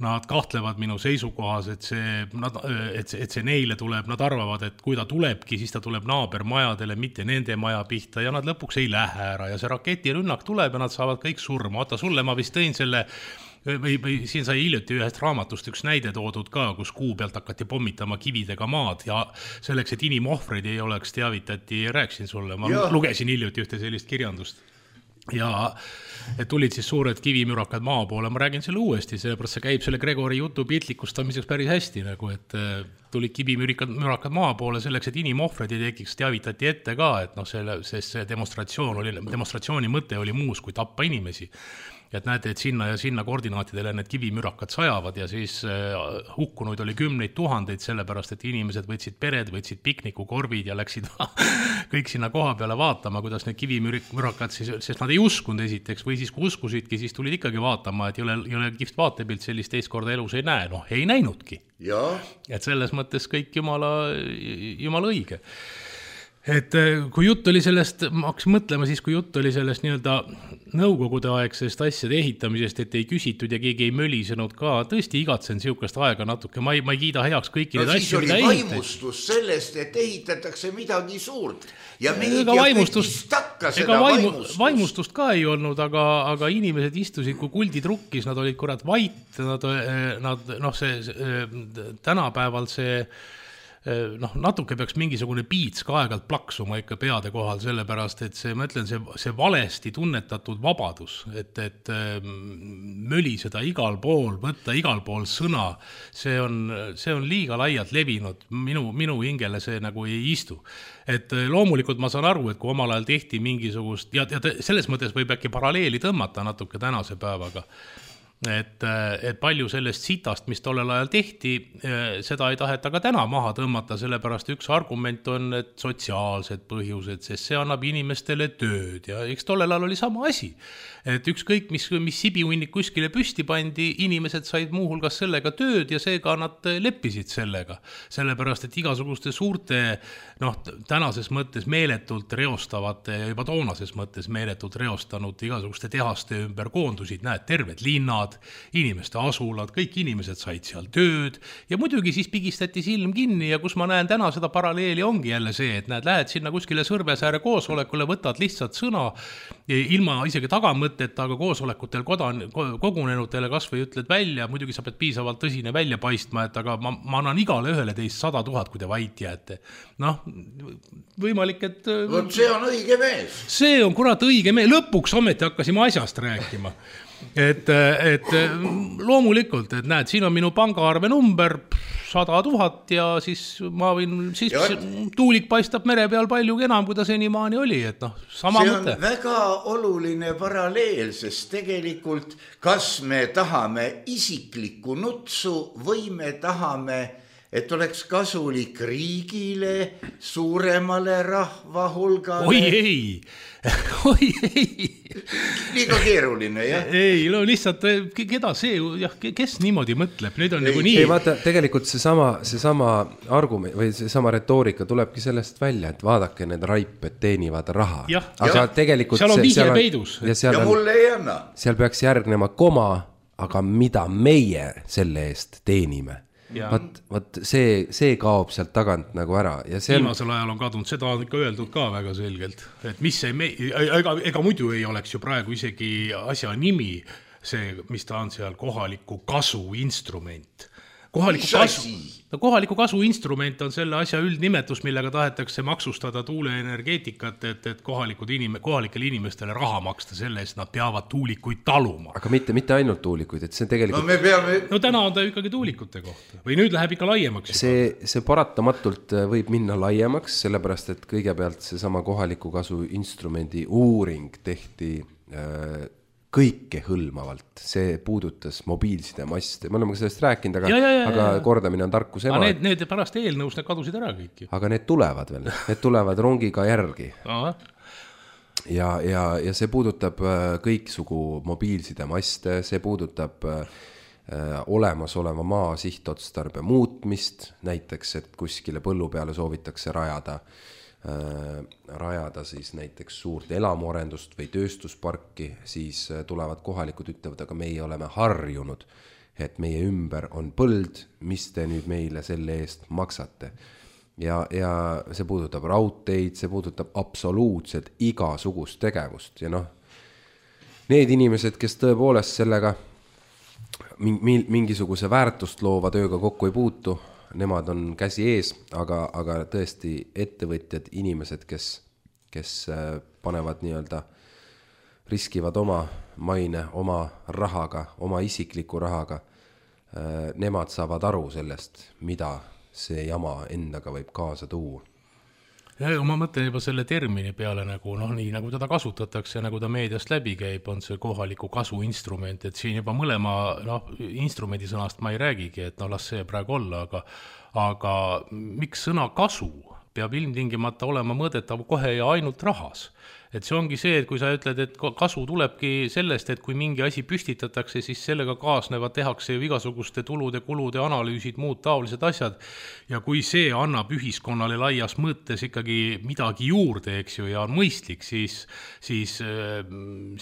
Nad kahtlevad minu seisukohas, et see, nad, et, see, et see neile tuleb, nad arvavad, et kui ta tulebki, siis ta tuleb naabermajadele, mitte nende maja pihta ja nad lõpuks ei lähe ära ja see raketirünnak tuleb ja nad saavad kõik surma. Oota, sulle ma vist tõin selle, või, või siin sai hiljuti ühest raamatust üks näide toodud ka, kus kuu pealt hakati pommitama kividega maad ja selleks, et inimohvreid ei oleks, teavitati, rääksin sulle, ma ja. lugesin hiljuti ühte sellist kirjandust. Ja et tulid siis suured kivimürakad maa poole, ma räägin selle uuesti, sellepärast see käib selle Gregori jutu piltlikustamiseks päris hästi, nagu et tulid kivimürakad maa poole selleks, et inimohvred ei tekiks, teavitati ette ka, et noh, selle, sest see demonstratsioon oli, demonstratsiooni mõte oli muus kui tappa inimesi. Et näete, et sinna ja sinna koordinaatidele need kivimürakad sajavad ja siis hukkunuid oli kümneid tuhandeid, sellepärast, et inimesed võtsid pered, võtsid piknikukorvid ja läksid kõik sinna koha peale vaatama, kuidas need kivimürakad siis, sest nad ei uskunud esiteks või siis kui uskusidki, siis tulid ikkagi vaatama, et ei ole, ei ole kihvt vaatepilt, sellist teist korda elus ei näe, noh, ei näinudki. Ja. Et selles mõttes kõik jumala, jumala õige. Et kui jutt oli sellest, ma hakkasin mõtlema siis, kui jutt oli sellest nii-öelda nõukogude aegsest asjade ehitamisest, et ei küsitud ja keegi ei mölisenud ka, tõesti igatsen siukest aega natuke, ma ei, ma ei kiida heaks kõiki no, need asju.
No siis oli vaimustus sellest, et ehitatakse midagi suurt ja meedia
vaimustust,
takka seda
vaimu,
vaimustust.
Vaimustust ka ei olnud, aga, aga inimesed istusid, kui kuldid rukkis, nad olid kurat vait, nad, nad noh, see, see tänapäeval see noh, natuke peaks mingisugune piits ka aegalt plaksuma ikka peade kohal, sellepärast, et see, ma ütlen, see, see valesti tunnetatud vabadus, et, et möli seda igal pool, võtta igal pool sõna, see on, see on liiga laialt levinud, minu, minu hingele see nagu ei istu. Et loomulikult ma saan aru, et kui omal ajal tehti mingisugust, ja, ja selles mõttes võib äkki paralleeli tõmmata natuke tänase päevaga, Et, et palju sellest sitast, mis tollel ajal tehti, seda ei taheta ka täna maha tõmmata, sellepärast üks argument on, et sotsiaalsed põhjused, sest see annab inimestele tööd ja eks tollel ajal oli sama asi. Et ükskõik, mis, mis sibiunnik kuskile püsti pandi, inimesed said muuhulgas sellega tööd ja seega nad leppisid sellega. Sellepärast, et igasuguste suurte, noh, tänases mõttes meeletult reostavate ja juba toonases mõttes meeletult reostanud igasuguste tehaste ümber koondusid, näed, terved linnad, inimeste asulad, kõik inimesed said seal tööd ja muidugi siis pigistati silm kinni ja kus ma näen täna seda paralleeli ongi jälle see, et näed, lähed sinna kuskile Sõrvesääre koosolekule, võtad lihtsalt sõna ilma isegi tagamõtteta, aga koosolekutel kodan, kogunenutele kas või ütled välja, muidugi sa pead piisavalt tõsine välja paistma, et aga ma, ma annan igale ühele teist sada tuhat, kui te vait jääte. Noh, võimalik, et...
Võt see on õige mees.
See on kurat õige mees, lõpuks ometi hakkasime asjast rääkima. Et, et loomulikult, et näed, siin on minu pangaarve number sada tuhat ja siis ma võin, siis ja tuulik paistab mere peal palju enam, kui ta senimaani oli, et noh, sama
see
mõte.
See on väga oluline paralleel, sest tegelikult kas me tahame isiklikku nutsu või me tahame, et oleks kasulik riigile, suuremale rahvahulgale.
Oi ei, oi ei.
Liiga keeruline, jah?
Ei, no lihtsalt, keda see, jah, kes niimoodi mõtleb? Nüüd on ei, nagu nii.
Ei, vaata, tegelikult see sama, see sama argument või see sama retoorika tulebki sellest välja, et vaadake, need raiped teenivad raha.
Ja,
aga
ja.
tegelikult
seal on
see,
vihje peidus.
Ja,
ja
on, mulle ei anna.
Seal peaks järgnema koma, aga mida meie selle eest teenime? Vat, vat see, see kaob sealt tagant nagu ära ja see on...
viimasel ajal on kadunud, seda on ikka öeldud ka väga selgelt, et mis see me... ega, ega muidu ei oleks ju praegu isegi asja nimi see, mis ta on seal, kohaliku kasu instrument. Kohaliku kasu, no kohaliku kasu instrument on selle asja üldnimetus, millega tahetakse maksustada tuuleenergeetikat, et, et kohalikud inim, kohalikele inimestele raha maksta selle eest, nad peavad tuulikuid taluma.
Aga mitte, mitte ainult tuulikuid, et see tegelikult...
No, me peame...
no täna on ta ikkagi tuulikute kohta või nüüd läheb ikka laiemaks.
See, see paratamatult võib minna laiemaks, sellepärast et kõigepealt see sama kohaliku kasu instrumendi uuring tehti äh, kõike hõlmavalt, see puudutas mobiilsidemaste, me oleme sellest rääkinud, aga,
ja, ja, ja,
aga kordamine on tarkus ema.
Need, need pärast eelnõus need kadusid ära kõik.
Aga need tulevad veel, need tulevad rongiga järgi.
Aha.
Ja, ja, ja see puudutab kõiksugu mobiilsidemaste, see puudutab olemasoleva maa sihtotstarbe muutmist, näiteks, et kuskile põllu peale soovitakse rajada, rajada siis näiteks suurt elamuarendust või tööstusparki, siis tulevad kohalikud ütlevad, aga meie oleme harjunud, et meie ümber on põld, mis te nüüd meile selle eest maksate. Ja, ja see puudutab raudteid, see puudutab absoluutselt igasugust tegevust ja noh, need inimesed, kes tõepoolest sellega mingisuguse väärtust loova tööga kokku ei puutu, nemad on käsi ees, aga, aga tõesti ettevõtjad, inimesed, kes, kes panevad nii-öelda, riskivad oma maine, oma rahaga, oma isikliku rahaga, nemad saavad aru sellest, mida see jama endaga võib kaasa tuua.
Ja ma mõtlen juba selle termini peale nagu, noh, nii nagu teda kasutatakse, nagu ta meediast läbi käib, on see kohaliku kasu instrument, et siin juba mõlema, noh, instrumendi sõnast ma ei räägigi, et no las see praegu olla, aga, aga miks sõna kasu peab ilmtingimata olema mõõdetav kohe ja ainult rahas? Et see ongi see, et kui sa ütled, et kasu tulebki sellest, et kui mingi asi püstitatakse, siis sellega kaasnevad tehakse ju igasuguste tulude, kulude, analüüsid, muud taolised asjad. Ja kui see annab ühiskonnale laias mõttes ikkagi midagi juurde, eks ju, ja on mõistlik, siis, siis,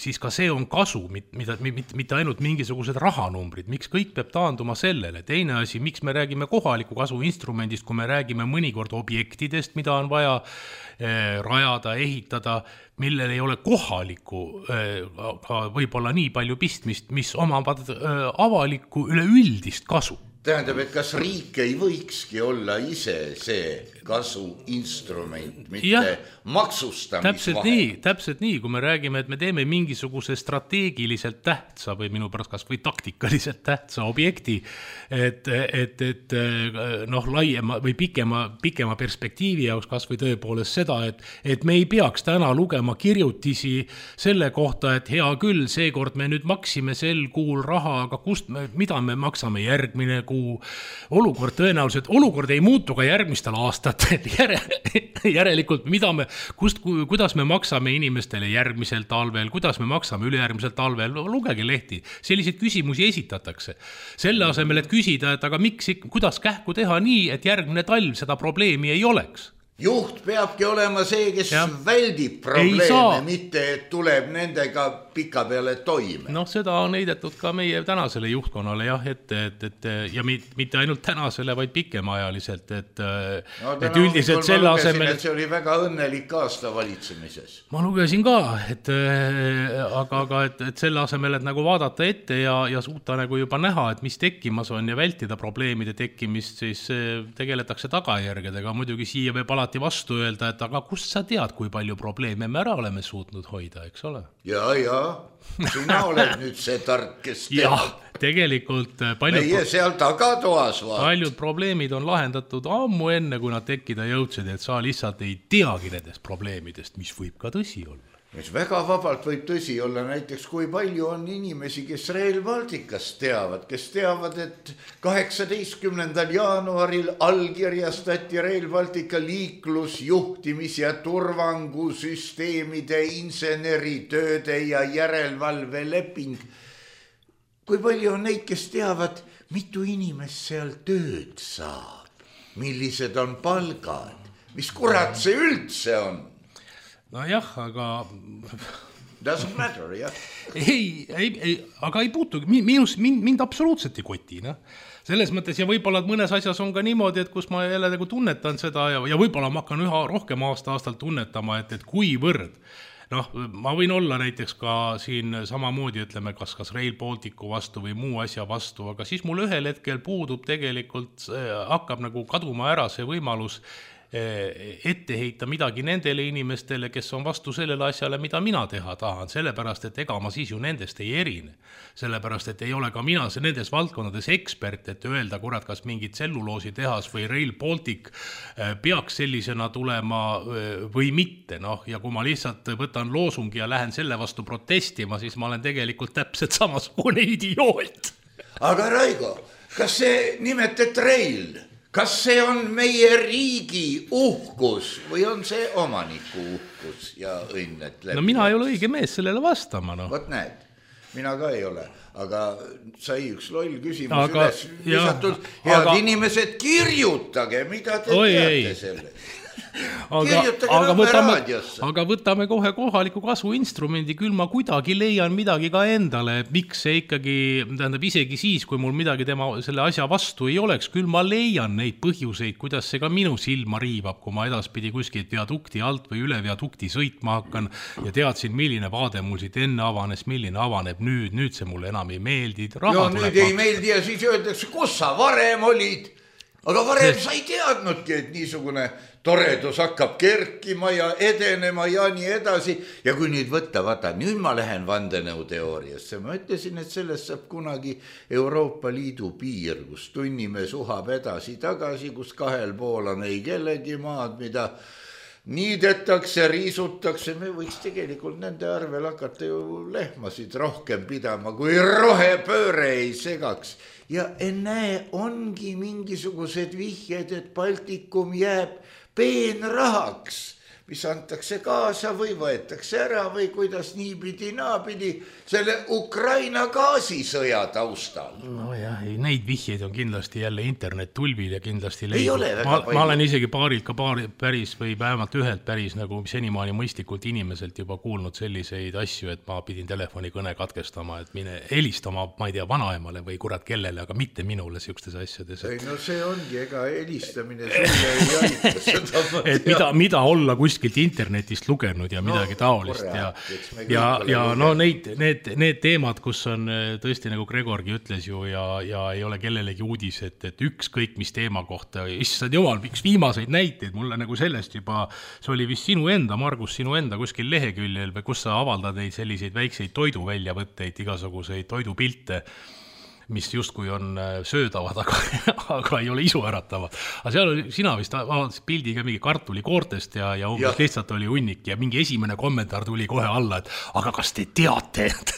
siis ka see on kasu, mida, mitte ainult mingisugused rahanumbrid. Miks kõik peab taanduma sellele? Teine asi, miks me räägime kohaliku kasu instrumendist, kui me räägime mõnikord objektidest, mida on vaja rajada, ehitada, millel ei ole kohaliku aga võib-olla nii palju pistmist, mis omavad avalikku üleüldist kasu.
Tähendab, et kas riik ei võikski olla ise see kasu instrument, mitte ja, maksustamisvahe?
Täpselt nii, täpselt nii, kui me räägime, et me teeme mingisuguse strateegiliselt tähtsa või minu pärast kas või taktikaliselt tähtsa objekti, et, et, et noh, laiema või pikema, pikema perspektiivi jaoks kas või tõepoolest seda, et, et me ei peaks täna lugema kirjutisi selle kohta, et hea küll, seekord me nüüd maksime sel kuul raha, aga kust me, mida me maksame järgmine kuu? Olukord tõenäoliselt, olukord ei muutu ka järgmistel aastatel, järelikult mida me, kust, kuidas me maksame inimestele järgmisel talvel, kuidas me maksame ülejärgmisel talvel, lugege lehti, selliseid küsimusi esitatakse. Selle asemel, et küsida, et aga miks, kuidas kähku teha nii, et järgmine talv seda probleemi ei oleks?
Juht peabki olema see, kes ja. väldib probleeme, mitte et tuleb nendega pika peale toime.
Noh, seda on heidetud ka meie tänasele juhtkonnale, jah, et, et, et ja mitte ainult tänasele, vaid pikemaajaliselt, et,
no,
et üldiselt selle asemel...
Et see oli väga õnnelik aasta valitsemises.
Ma lugesin ka, et, aga, aga et, et selle asemel, et nagu vaadata ette ja, ja suuta nagu juba näha, et mis tekkimas on ja vältida probleemide tekkimist, siis tegeletakse tagajärgedega. Muidugi siia võib alati vastu öelda, et aga kust sa tead, kui palju probleeme me ära oleme suutnud hoida, eks ole?
Ja, ja, sina oled nüüd see tark, kes teab.
Ja, tegelikult paljud,
meie seal tagatoas vaat.
Paljud probleemid on lahendatud ammu enne, kui nad tekkida jõudsid, et sa lihtsalt ei teagi nendest probleemidest, mis võib ka tõsi olla.
Mis väga vabalt võib tõsi olla, näiteks kui palju on inimesi, kes Rail Balticast teavad, kes teavad, et kaheksateistkümnendal jaanuaril allkirjastati Rail Baltica liiklus, juhtimis- ja turvangusüsteemide, inseneritööde ja järelevalve leping. Kui palju on neid, kes teavad, mitu inimest seal tööd saab, millised on palgad, mis kurat see üldse on?
No jah, aga...
Doesn't matter, jah.
Ei, ei, ei, aga ei puutu, minus, mind, mind absoluutselt ei koti, noh. Selles mõttes ja võib-olla mõnes asjas on ka niimoodi, et kus ma jälle nagu tunnetan seda ja, ja võib-olla ma hakkan üha rohkem aasta-aastalt tunnetama, et, et kui võrd. Noh, ma võin olla näiteks ka siin samamoodi, ütleme, kas, kas Rail Balticu vastu või muu asja vastu, aga siis mul ühel hetkel puudub tegelikult, hakkab nagu kaduma ära see võimalus ette heita midagi nendele inimestele, kes on vastu sellele asjale, mida mina teha tahan, sellepärast, et ega ma siis ju nendest ei erine. Sellepärast, et ei ole ka mina nendes valdkondades ekspert, et öelda, kurat, kas mingid tselluloosi tehas või Rail Baltic peaks sellisena tulema või mitte. Noh, ja kui ma lihtsalt võtan loosungi ja lähen selle vastu protestima, siis ma olen tegelikult täpselt samasugune idioot.
Aga Raigo, kas see nimetet Rail... Kas see on meie riigi uhkus või on see omaniku uhkus ja õnnet läbi?
No mina ei ole õige mees sellele vastama. No.
Vot näed, mina ka ei ole, aga sai üks loll küsimus
aga,
üles visatud. Head aga... inimesed, kirjutage, mida te Oi, teate ei. Sellest.
Aga, aga, võtame, aga võtame kohe kohaliku kasvu instrumendi, küll ma kuidagi leian midagi ka endale, miks see ikkagi, tähendab isegi siis, kui mul midagi tema selle asja vastu ei oleks, küll ma leian neid põhjuseid, kuidas see ka minu silma riivab, kui ma edaspidi kuskilt viadukti alt või üle viadukti sõitma hakkan ja teadsin, milline vaade mul siit enne avanes, milline avaneb nüüd, nüüd see mulle enam ei meeldi.
Ja nüüd ei meeldi ja siis öeldakse, kus sa varem olid, aga varem sa ei teadnudki, et niisugune toredus hakkab kerkima ja edenema ja nii edasi. Ja kui nüüd võtta, vaata, nüüd ma lähen vandenõuteooriasse. Ma ütlesin, et sellest saab kunagi Euroopa Liidu piir, kus tunnime suhab edasi tagasi, kus kahel pool on ei kellegi maad, mida niidetakse, riisutakse. Me võiks tegelikult nende arvel hakata ju lehmasid rohkem pidama, kui rohepööre ei segaks. Ja ennäe, ongi mingisugused vihjed, et Baltikum jääb peenrahaks, mis antakse kaasa või võetakse ära või kuidas niipidi naapidi selle Ukraina gaasisõja taustal.
No jah, neid vihjeid on kindlasti jälle internet tulbil ja kindlasti leidub. Ma, ma olen isegi paarilt ka paari, päris või vähemalt ühelt päris nagu senimaani mõistlikult inimeselt juba kuulnud selliseid asju, et ma pidin telefonikõne katkestama, et mine helistama, ma ei tea, vanaemale või kurat kellele, aga mitte minule siukestes asjades.
Ei, no see ongi, ega helistamine sulle ei aita seda.
Et mida, mida olla kuskilt internetist lugenud ja midagi no, taolist ja, ja, ja no neid, need, need teemad, kus on tõesti nagu Gregorgi ütles ju ja, ja ei ole kellelegi uudis, et, et ükskõik mis teema kohta, issand jumal, üks viimaseid näiteid mulle nagu sellest juba, see oli vist sinu enda, Margus, sinu enda kuskil leheküljel või kus sa avaldad neid selliseid väikseid toiduväljavõtteid, igasuguseid toidupilte, mis justkui on söödavad, aga, aga ei ole isuäratavad. Aga seal oli, sina vist avaldasid pildi ka mingi kartulikoortest ja, ja umbes ja. Lihtsalt oli hunnik ja mingi esimene kommentaar tuli kohe alla, et aga kas te teate, et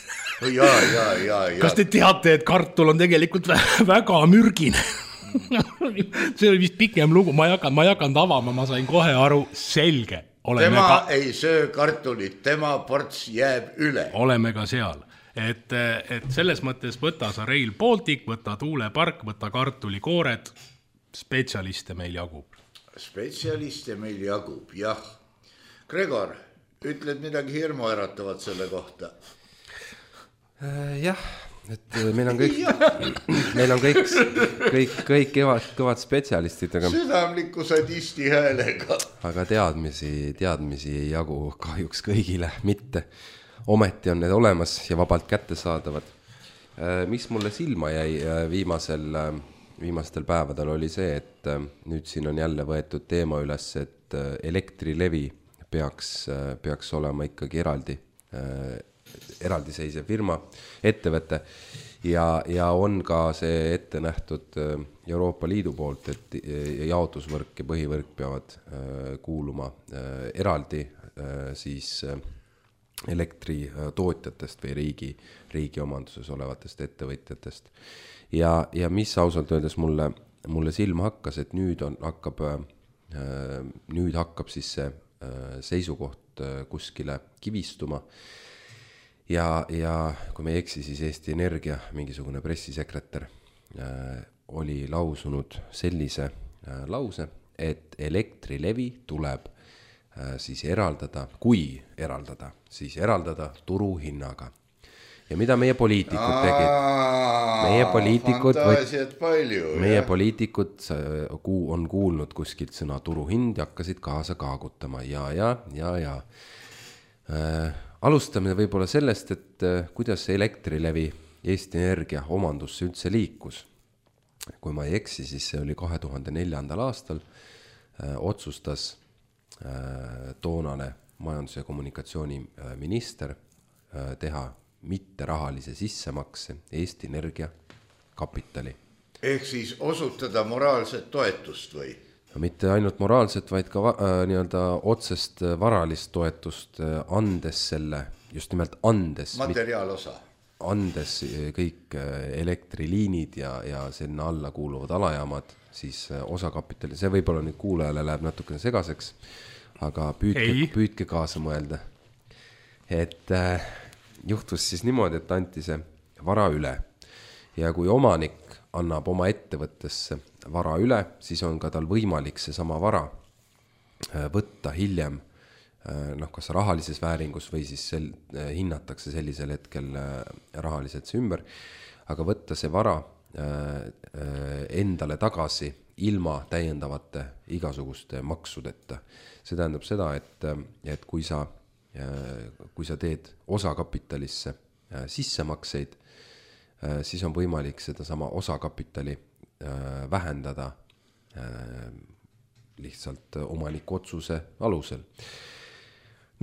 ja, ja, ja, ja.
kas te teate, et kartul on tegelikult väga mürgine? See oli vist pikem lugu, ma ei hakanud, ma ei hakanud avama, ma sain kohe aru, selge. Oleme
tema
ka...
ei söö kartulit, tema ports jääb üle.
Oleme ka seal. Et, et selles mõttes võta sa Rail Baltic, võta tuulepark, võta kartulikoored, spetsialiste meil jagub.
Spetsialiste meil jagub, jah. Gregor, ütled midagi hirmu äratavat selle kohta?
Jah, et meil on kõik, meil on kõik, kõik, kõik kõvad, kõvad spetsialistid, aga...
Südamliku sadisti häälega.
Aga teadmisi, teadmisi ei jagu kahjuks kõigile mitte. Ometi on need olemas ja vabalt kätte saadavad. Mis mulle silma jäi viimasel, viimastel päevadel oli see, et nüüd siin on jälle võetud teema üles, et Elektrilevi peaks, peaks olema ikkagi eraldi, eraldiseisev firma, ettevõte ja, ja on ka see ette nähtud Euroopa Liidu poolt, et jaotusvõrk ja põhivõrk peavad kuuluma eraldi siis elektritootjatest või riigi, riigi omanduses olevatest ettevõtjatest. Ja, ja mis ausalt öeldes mulle, mulle silma hakkas, et nüüd, on, hakkab, nüüd hakkab siis see seisukoht kuskile kivistuma. Ja, ja kui me ei eksi, siis Eesti Energia mingisugune pressisekretär oli lausunud sellise lause, et Elektrilevi tuleb siis eraldada, kui eraldada, siis eraldada turuhinnaga. Ja mida meie poliitikud tegid? Meie poliitikud,
palju,
meie poliitikud on kuulnud kuskilt sõna turuhind ja hakkasid kaasa kaagutama. Ja, ja, ja, ja. Äh, alustame võib-olla sellest, et äh, kuidas Elektrilevi Eesti Energia omandusse üldse liikus. Kui ma ei eksi, siis see oli kahe tuhande neljandal aastal äh, otsustas toonane majandus- ja kommunikatsiooniminister teha mitterahalise sissemakse Eesti Energia kapitali.
Ehk siis osutada moraalset toetust või?
No, mitte ainult moraalset, vaid ka äh, nii-öelda otsest varalist toetust äh, andes selle, just nimelt andes.
Materiaalosa.
Andes kõik elektriliinid ja, ja sinna alla kuuluvad alajaamad, siis osakapitali, see võib-olla nüüd kuulajale läheb natukene segaseks, aga püüdke, püüdke kaasa mõelda. Et juhtus siis niimoodi, et anti see vara üle ja kui omanik annab oma ettevõttesse vara üle, siis on ka tal võimalik see sama vara võtta hiljem, noh, kas rahalises vääringus või siis sel, hinnatakse sellisel hetkel rahaliselt see ümber, aga võtta see vara endale tagasi ilma täiendavate igasuguste maksudeta. See tähendab seda, et, et kui sa, kui sa teed osakapitalisse sissemakseid, siis on võimalik seda sama osakapitali vähendada lihtsalt omaniku otsuse alusel.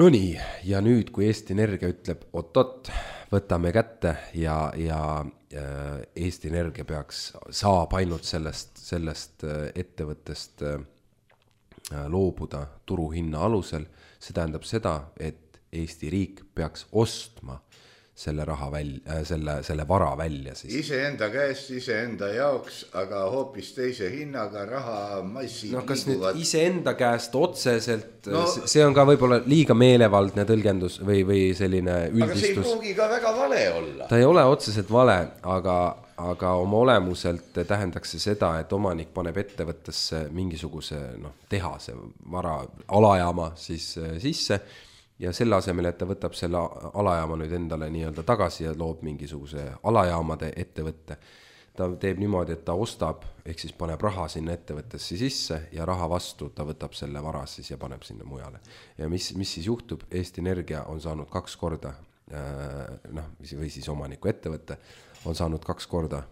No nii, ja nüüd, kui Eesti Energia ütleb, oot-oot, võtame kätte ja, ja Eesti Energia peaks, saab ainult sellest, sellest ettevõttest loobuda turuhinna alusel, see tähendab seda, et Eesti riik peaks ostma selle raha välja, selle, selle vara välja siis.
Iseenda käest, iseenda jaoks, aga hoopis teise hinnaga raha massid
no, kas
liiguvad.
Nüüd iseenda käest otseselt,
no,
see on ka võib-olla liiga meelevaldne tõlgendus või, või selline üldistus.
Aga see ei pruugi ka väga vale olla.
Ta ei ole otseselt vale, aga, aga oma olemuselt tähendaks see seda, et omanik paneb ettevõttesse mingisuguse no, tehase vara alajaama siis sisse, ja selle asemel, et ta võtab selle alajaama nüüd endale nii-öelda tagasi ja loob mingisuguse alajaamade ettevõtte. Ta teeb niimoodi, et ta ostab, ehk siis paneb raha sinna ettevõttesse sisse ja raha vastu ta võtab selle vara siis ja paneb sinna mujale. Ja mis, mis siis juhtub? Eesti Energia on saanud kaks korda, noh, või siis omaniku ettevõtte, on saanud kaks korda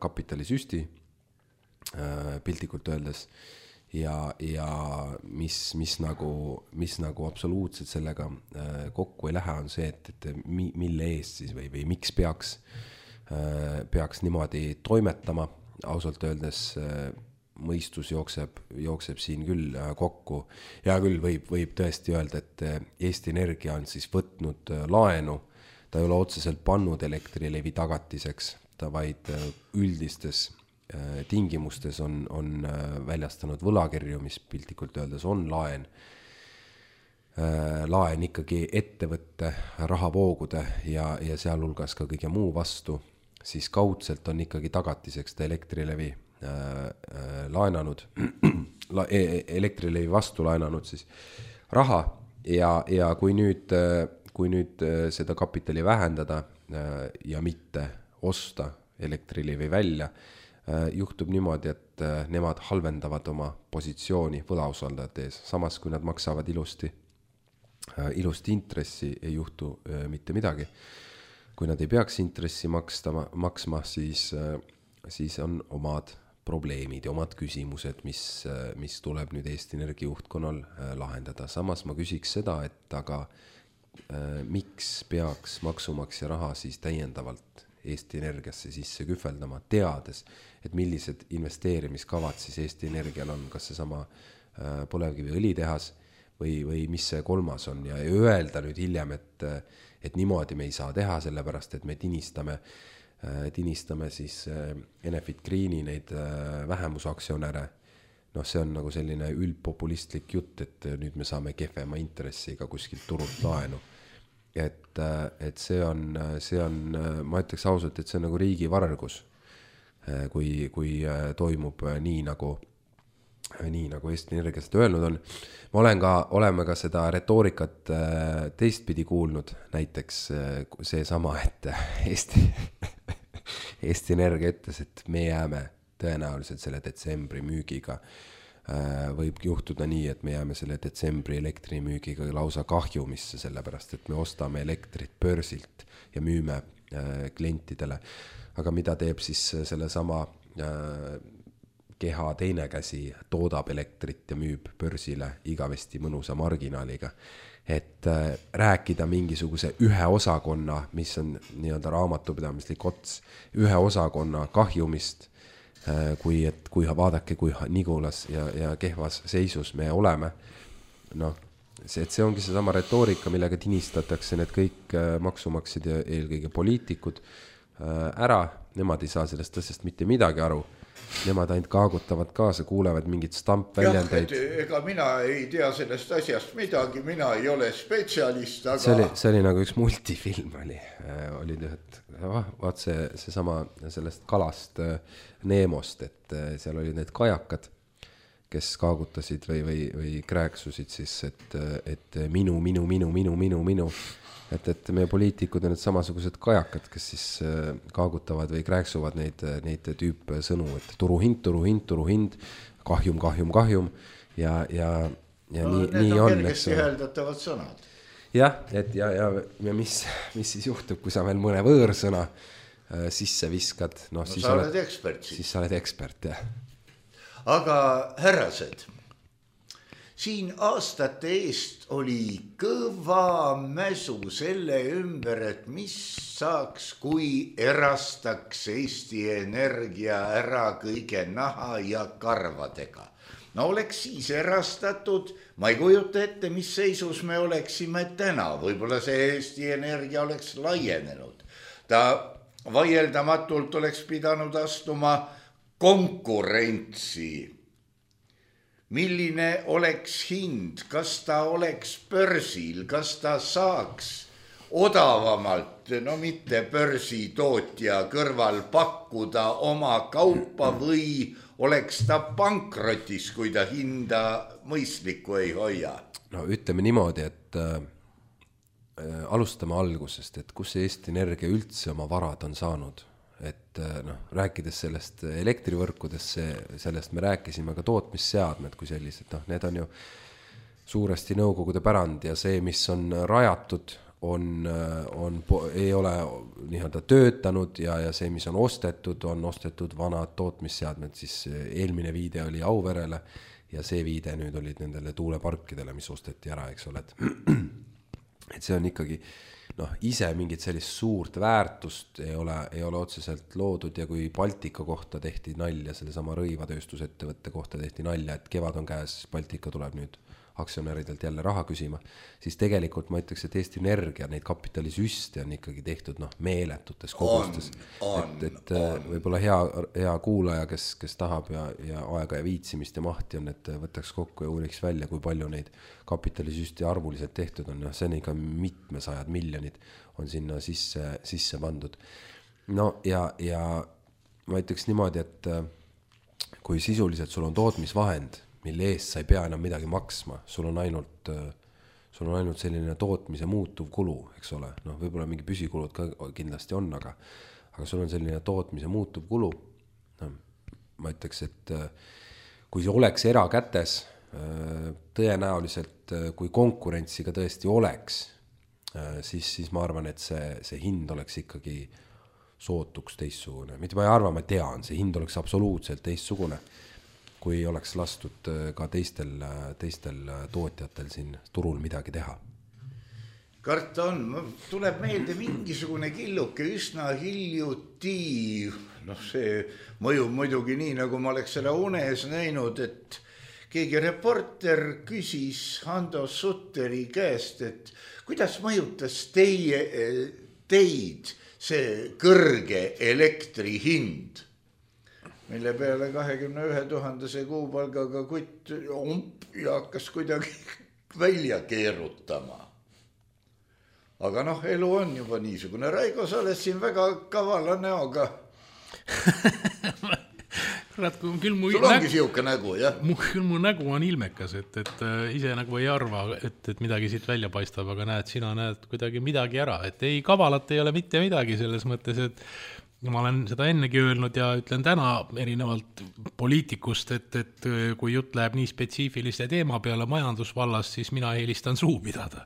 kapitalisüsti piltlikult öeldes. Ja, ja mis, mis, nagu, mis nagu absoluutselt sellega kokku ei lähe, on see, et, et mille eest siis või, või miks peaks, peaks niimoodi toimetama. Ausalt öeldes mõistus jookseb, jookseb siin küll kokku. Ja küll võib, võib tõesti öelda, et Eesti Energia on siis võtnud laenu. Ta ei ole otseselt pannud Elektrilevi tagatiseks, ta vaid üldistes tingimustes on, on väljastanud võlakirju, mis piltlikult öeldes on laen. Laen ikkagi ettevõtte rahavoogude ja, ja sealhulgas ka kõige muu vastu, siis kaudselt on ikkagi tagatiseks ta Elektrilevi äh, laenanud, Elektrilevi vastu laenanud siis raha ja, ja kui nüüd, kui nüüd seda kapitali vähendada ja mitte osta Elektrilevi välja, juhtub niimoodi, et nemad halvendavad oma positsiooni võlausaldajate ees. Samas, kui nad maksavad ilusti, ilusti intressi, ei juhtu mitte midagi. Kui nad ei peaks intressi makstama, maksma, siis, siis on omad probleemid ja omad küsimused, mis, mis tuleb nüüd Eesti Energia juhtkonnal lahendada. Samas ma küsiks seda, et aga miks peaks maksumaksja raha siis täiendavalt Eesti Energiasse sisse kühveldama, teades, et millised investeerimiskavad siis Eesti Energial on, kas see sama põlevkivi õlitehas või, või mis see kolmas on ja öelda nüüd hiljem, et, et niimoodi me ei saa teha, sellepärast, et me tinistame, tinistame siis Enefit Greeni neid vähemusaktsionäre. Noh, see on nagu selline üldpopulistlik jutt, et nüüd me saame kehvema intressiga kuskilt turult laenu. Et, et see on, see on, ma ütleks ausalt, et see on nagu riigi vargus, kui, kui toimub nii nagu, nii nagu Eesti Energia seda öelnud on. Ma olen ka, oleme ka seda retoorikat teistpidi kuulnud, näiteks see sama, et Eesti, Eesti Energia ütles, et me jääme tõenäoliselt selle detsembri müügiga võib juhtuda nii, et me jääme selle detsembri elektrimüügiga lausa kahjumisse, sellepärast, et me ostame elektrit börsilt ja müüme klientidele. Aga mida teeb siis selle sama keha teine käsi, toodab elektrit ja müüb börsile igavesti mõnusa marginaaliga. Et rääkida mingisuguse ühe osakonna, mis on nii-öelda raamatupidamislik ots, ühe osakonna kahjumist, kui, et, kui vaadake, kui nigulas ja, ja kehvas seisus me oleme. No, see, et see ongi see sama retoorika, millega tinistatakse need kõik maksumaksjad ja eelkõige poliitikud ära. Nemad ei saa sellest tõsest mitte midagi aru. nemad ainult kaagutavad kaasa, kuulevad mingid stampväljendeid.
Ega mina ei tea sellest asjast midagi, mina ei ole spetsialist, aga...
See oli, see oli nagu üks multifilm oli, oli et vaat see, see sama sellest kalast Neemost, et seal olid need kajakad, kes kaagutasid või, või, või krääksusid siis, et, et minu, minu, minu, minu, minu, minu, et, et meie poliitikud on need samasugused kajakad, kes siis kaagutavad või krääksuvad neid, neid tüüp sõnu, et turuhind, turuhind, turuhind, kahjum, kahjum, kahjum ja, ja, ja no, nii, nii on. Need on
kergesti hääldatavad sõnad.
Jah, et ja, ja, ja mis, mis siis juhtub, kui sa veel mõne võõrsõna sisse viskad, no, no siis
sa oled ekspert.
Siis sa oled ekspert, jah.
Aga härrased, siin aastate eest oli kõva mäsu selle ümber, et mis saaks, kui erastaks Eesti Energia ära kõige naha ja karvadega. No oleks siis erastatud, ma ei kujuta ette, mis seisus me oleksime täna, võib-olla see Eesti Energia oleks laienenud. Ta vaieldamatult oleks pidanud astuma konkurentsi. Milline oleks hind, kas ta oleks börsil, kas ta saaks odavamalt, no mitte börsitootja kõrval pakkuda oma kaupa või oleks ta pankrotis, kui ta hinda mõistlikku ei hoia?
No ütleme niimoodi, et äh, alustame algusest, et kus Eesti Energia üldse oma varad on saanud. Et noh, rääkides sellest elektrivõrkudesse, sellest me rääkisime ka tootmisseadmed kui sellised, noh, need on ju suuresti nõukogude pärand ja see, mis on rajatud, on, on, ei ole nii-öelda töötanud ja, ja see, mis on ostetud, on ostetud vanad tootmisseadmed, siis eelmine viide oli Auverele ja see viide nüüd olid nendele tuuleparkidele, mis osteti ära, eks ole, et, et see on ikkagi noh, ise mingit sellist suurt väärtust ei ole, ei ole otseselt loodud ja kui Baltika kohta tehti nalja, selle sama rõivatööstusettevõtte kohta tehti nalja, et kevad on käes, Baltika tuleb nüüd aktsionäridelt jälle raha küsima, siis tegelikult ma ütleks, et Eesti Energia neid kapitalisüste on ikkagi tehtud noh, meeletutes kogustes. On, et et on. Võib-olla hea, hea kuulaja, kes, kes tahab ja, ja aega ja viitsimist ja mahti on, et võtaks kokku ja uuriks välja, kui palju neid kapitalisüste arvuliselt tehtud on. See on ikka mitmesajad miljonid on sinna sisse, sisse pandud. No ja, ja ma ütleks niimoodi, et kui sisuliselt sul on tootmisvahend, mille eest sa ei pea enam midagi maksma, sul on ainult, sul on ainult selline tootmise muutuv kulu, eks ole, noh, võib-olla mingi püsikulud ka kindlasti on, aga, aga sul on selline tootmise muutuv kulu, no, ma ütleks, et kui see oleks erakätes, tõenäoliselt, kui konkurentsiga tõesti oleks, siis, siis ma arvan, et see, see hind oleks ikkagi sootuks teistsugune, mitte ma ei arva, ma tean, see hind oleks absoluutselt teistsugune, kui oleks lastud ka teistel, teistel tootjatel siin turul midagi teha.
Karta on, tuleb meelde mingisugune killuke üsna hiljuti, noh see mõjub muidugi nii, nagu ma oleks selle unes näinud, et keegi reporter küsis Hando Sutteri käest, et kuidas mõjutas teie, teid see kõrge elektri hind? Mille peale kahekümne ühe tuhandese kuupalgaga kutt omp ja hakkas kuidagi välja keerutama. Aga noh, elu on juba niisugune. Raigo, sa oled siin väga kavala näoga.
Kurat, küll mu
sul ongi nägu, siuke nägu, jah?
Küll mu nägu on ilmekas, et, et ise nagu ei arva, et, et midagi siit välja paistab, aga näed, sina näed kuidagi midagi ära. Et ei, kavalat ei ole mitte midagi selles mõttes, et ma olen seda ennegi öelnud ja ütlen täna erinevalt poliitikust, et, et kui jutt läheb nii spetsiifiliste teema peale majandusvallas, siis mina eelistan suu pidada.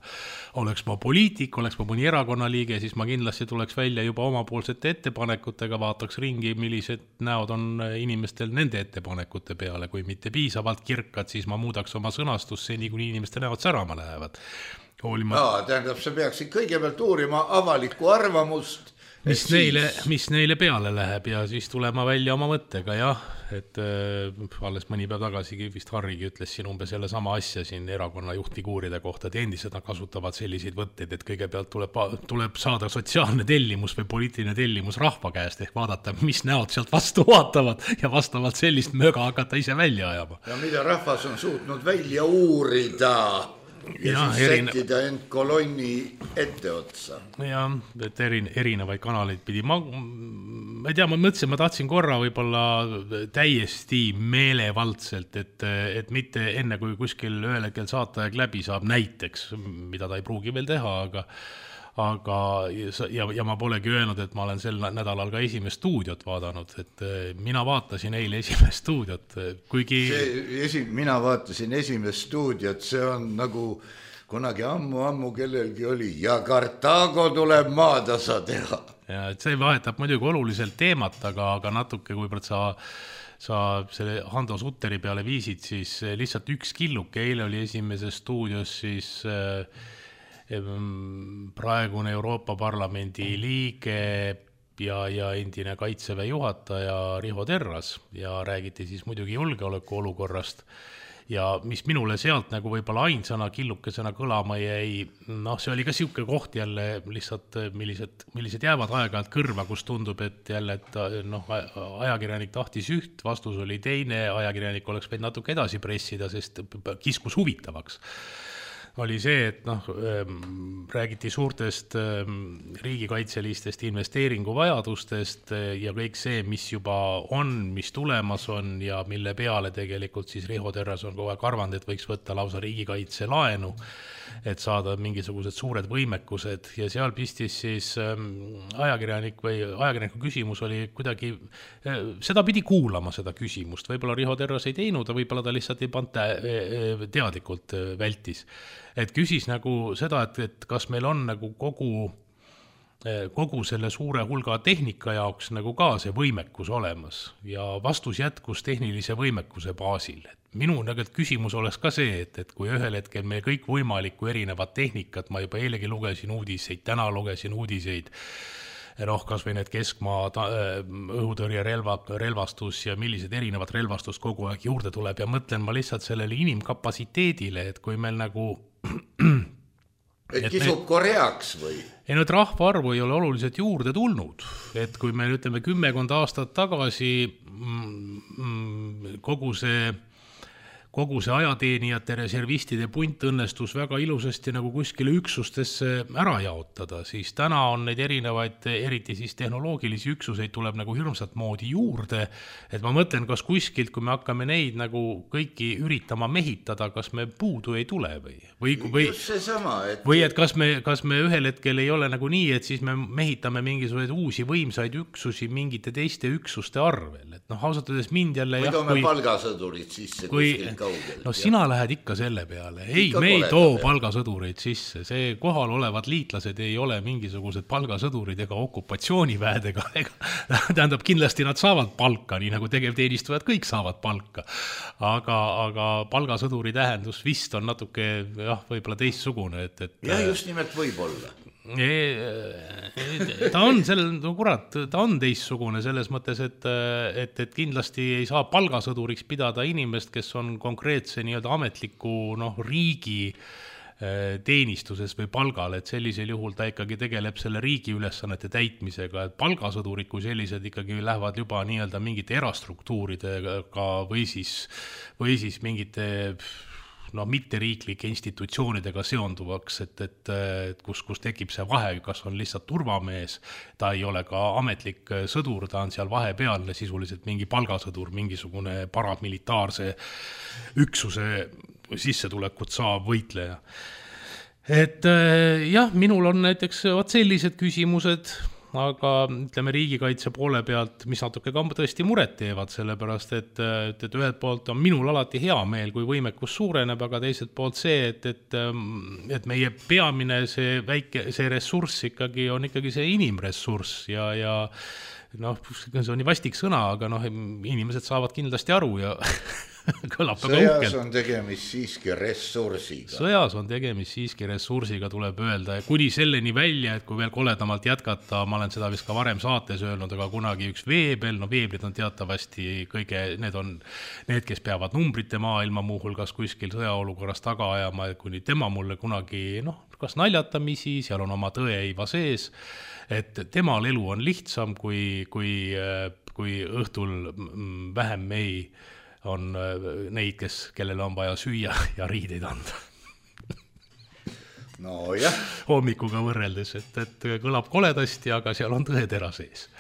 Oleks ma poliitik, oleks ma mõni erakonna liige, siis ma kindlasti tuleks välja juba omapoolsete ettepanekutega, vaataks ringi, millised näod on inimestel nende ettepanekute peale. Kui mitte piisavalt kirkad, siis ma muudaks oma sõnastust seni, kuni inimeste näod särama lähevad. Hoolima...
No, tähendab, sa peaksid kõigepealt uurima avalikku arvamust
mis neile, mis neile peale läheb ja siis tulema välja oma mõttega, jah, et äh, alles mõni päev tagasi vist Harrigi ütles siin umbes jälle sama asja siin erakonna juhtfiguuride kohta, et endised nad kasutavad selliseid võtteid, et kõigepealt tuleb, tuleb saada sotsiaalne tellimus või poliitiline tellimus rahva käest ehk vaadata, mis näod sealt vastu vaatavad ja vastavalt sellist möga hakata ise välja ajama.
Ja mida rahvas on suutnud välja uurida ja, ja siis erine... sättida end kolonni ette otsa.
Ja, et erin, erinevaid kanaleid pidi. Ma, ma ei tea, ma mõtlesin, ma tahtsin korra võib-olla täiesti meelevaldselt, et, et mitte enne, kui kuskil ühel hetkel saataeg läbi saab näiteks, mida ta ei pruugi veel teha, aga aga ja, ja ma polegi öelnud, et ma olen sel nädalal ka esimest stuudiot vaadanud, et mina vaatasin eile esimest stuudiot, kuigi
see, esi, mina vaatasin esimest stuudiot, see on nagu kunagi ammu-ammu kellelgi oli ja Kartaago tuleb maatasa teha.
Ja, et see vahetab muidugi oluliselt teemat, aga, aga natuke, kuivõrd sa sa selle Hando Sutteri peale viisid, siis lihtsalt üks killuke eile oli esimeses stuudios siis praegune Euroopa Parlamendi liige ja, ja endine kaitseväe juhataja Riho Terras ja räägiti siis muidugi julgeoleku olukorrast ja mis minule sealt nagu võib-olla ainsana killukesena kõlama jäi, noh see oli ka siuke koht jälle lihtsalt millised, millised jäävad aeg-ajalt kõrva, kus tundub, et jälle, et noh, ajakirjanik tahtis üht, vastus oli teine, ajakirjanik oleks võinud natuke edasi pressida, sest kiskus huvitavaks. Oli see, et noh, räägiti suurtest riigikaitselistest investeeringuvajadustest ja kõik see, mis juba on, mis tulemas on ja mille peale tegelikult siis Riho Terras on kogu aeg arvanud, et võiks võtta lausa riigikaitse laenu, et saada mingisugused suured võimekused ja seal pistis siis ajakirjanik või ajakirjaniku küsimus oli kuidagi, seda pidi kuulama seda küsimust, võib-olla Riho Terras ei teinud, võib-olla ta lihtsalt ei panta teadlikult vältis. Et küsis nagu seda, et, et kas meil on nagu kogu, kogu selle suure hulga tehnika jaoks nagu ka see võimekus olemas ja vastus jätkus tehnilise võimekuse baasil. Minu nagu küsimus oleks ka see, et, et kui ühel hetkel meil kõik võimalikku erinevad tehnikat, ma juba eilegi lugesin uudiseid, täna lugesin uudiseid, noh, kas või need keskmaa õhutõrje relva, relvastus ja millised erinevad relvastus kogu aeg juurde tuleb ja mõtlen ma lihtsalt sellele inimkapatsiteedile, et kui meil nagu
et kisub me... koreaks või?
Ei, no, et rahvaarvu ei ole oluliselt juurde tulnud, et kui me ütleme kümmekond aastat tagasi mm, kogu see kogu see ajateenijate reservistide punt õnnestus väga ilusasti nagu kuskile üksustesse ära jaotada, siis täna on neid erinevaid, eriti siis tehnoloogilisi üksuseid tuleb nagu hirmsat moodi juurde, et ma mõtlen, kas kuskilt, kui me hakkame neid nagu kõiki üritama mehitada, kas me puudu ei tule või? Või, või,
sama, et... või
et kas me, kas me ühel hetkel ei ole nagu nii, et siis me mehitame mingisuguseid uusi võimsaid üksusi mingite teiste üksuste arvel, et noh, ausatades mind jälle
või toome kui... palgasõdurid sisse
kui... kuskil kaugel. No sina ja. Lähed ikka selle peale. Ei, ikka me ei too palgasõdureid sisse. See kohal olevad liitlased ei ole mingisugused palgasõdurid ega okupatsiooniväed ega, ega tähendab, kindlasti nad saavad palka, nii nagu tegevteenistujad kõik saavad palka. Aga, aga palgasõduri tähendus vist on natuke, jah, võib-olla teistsugune, et, et
ja just nimelt võib olla.
Ta on sellel, no kurat, ta on teistsugune selles mõttes, et, et, et kindlasti ei saa palgasõduriks pidada inimest, kes on konkreetse nii-öelda ametliku noh, riigi teenistuses või palgal, et sellisel juhul ta ikkagi tegeleb selle riigi ülesannete täitmisega, et palgasõdurid kui sellised ikkagi lähevad juba nii-öelda mingite erastruktuuridega või siis, või siis mingite no mitteriiklike institutsioonidega seonduvaks, et, et, et kus, kus tekib see vahe, kas on lihtsalt turvamees, ta ei ole ka ametlik sõdur, ta on seal vahepealne sisuliselt mingi palgasõdur, mingisugune paramilitaarse üksuse sissetulekut saav võitleja. Et jah, minul on näiteks vaat sellised küsimused, aga ütleme riigikaitse poole pealt, mis natuke ka tõesti muret teevad, sellepärast, et, et, et ühelt poolt on minul alati hea meel, kui võimekus suureneb, aga teiselt poolt see, et, et, et meie peamine see väike, see ressurss ikkagi on ikkagi see inimressurss ja, ja noh, see on nii vastik sõna, aga noh, inimesed saavad kindlasti aru ja kõlab väga
sõjas
uhkelt.
on tegemist siiski ressursiga.
Sõjas on tegemist siiski ressursiga, tuleb öelda. Ja kuni selleni välja, et kui veel koledamalt jätkata, ma olen seda vist ka varem saates öelnud, aga kunagi üks Veebel, no Veebrid on teatavasti kõige, need on need, kes peavad numbrite maailma muuhulgas kuskil sõjaolukorras taga ajama, et kuni tema mulle kunagi, noh, kas naljatamisi, seal on oma tõeiva sees, et temal elu on lihtsam, kui, kui, kui õhtul vähem mehi on neid, kes, kellele on vaja süüa ja riideid anda.
No jah.
Hommikuga võrreldes, et, et kõlab koledasti, aga seal on tõetera sees.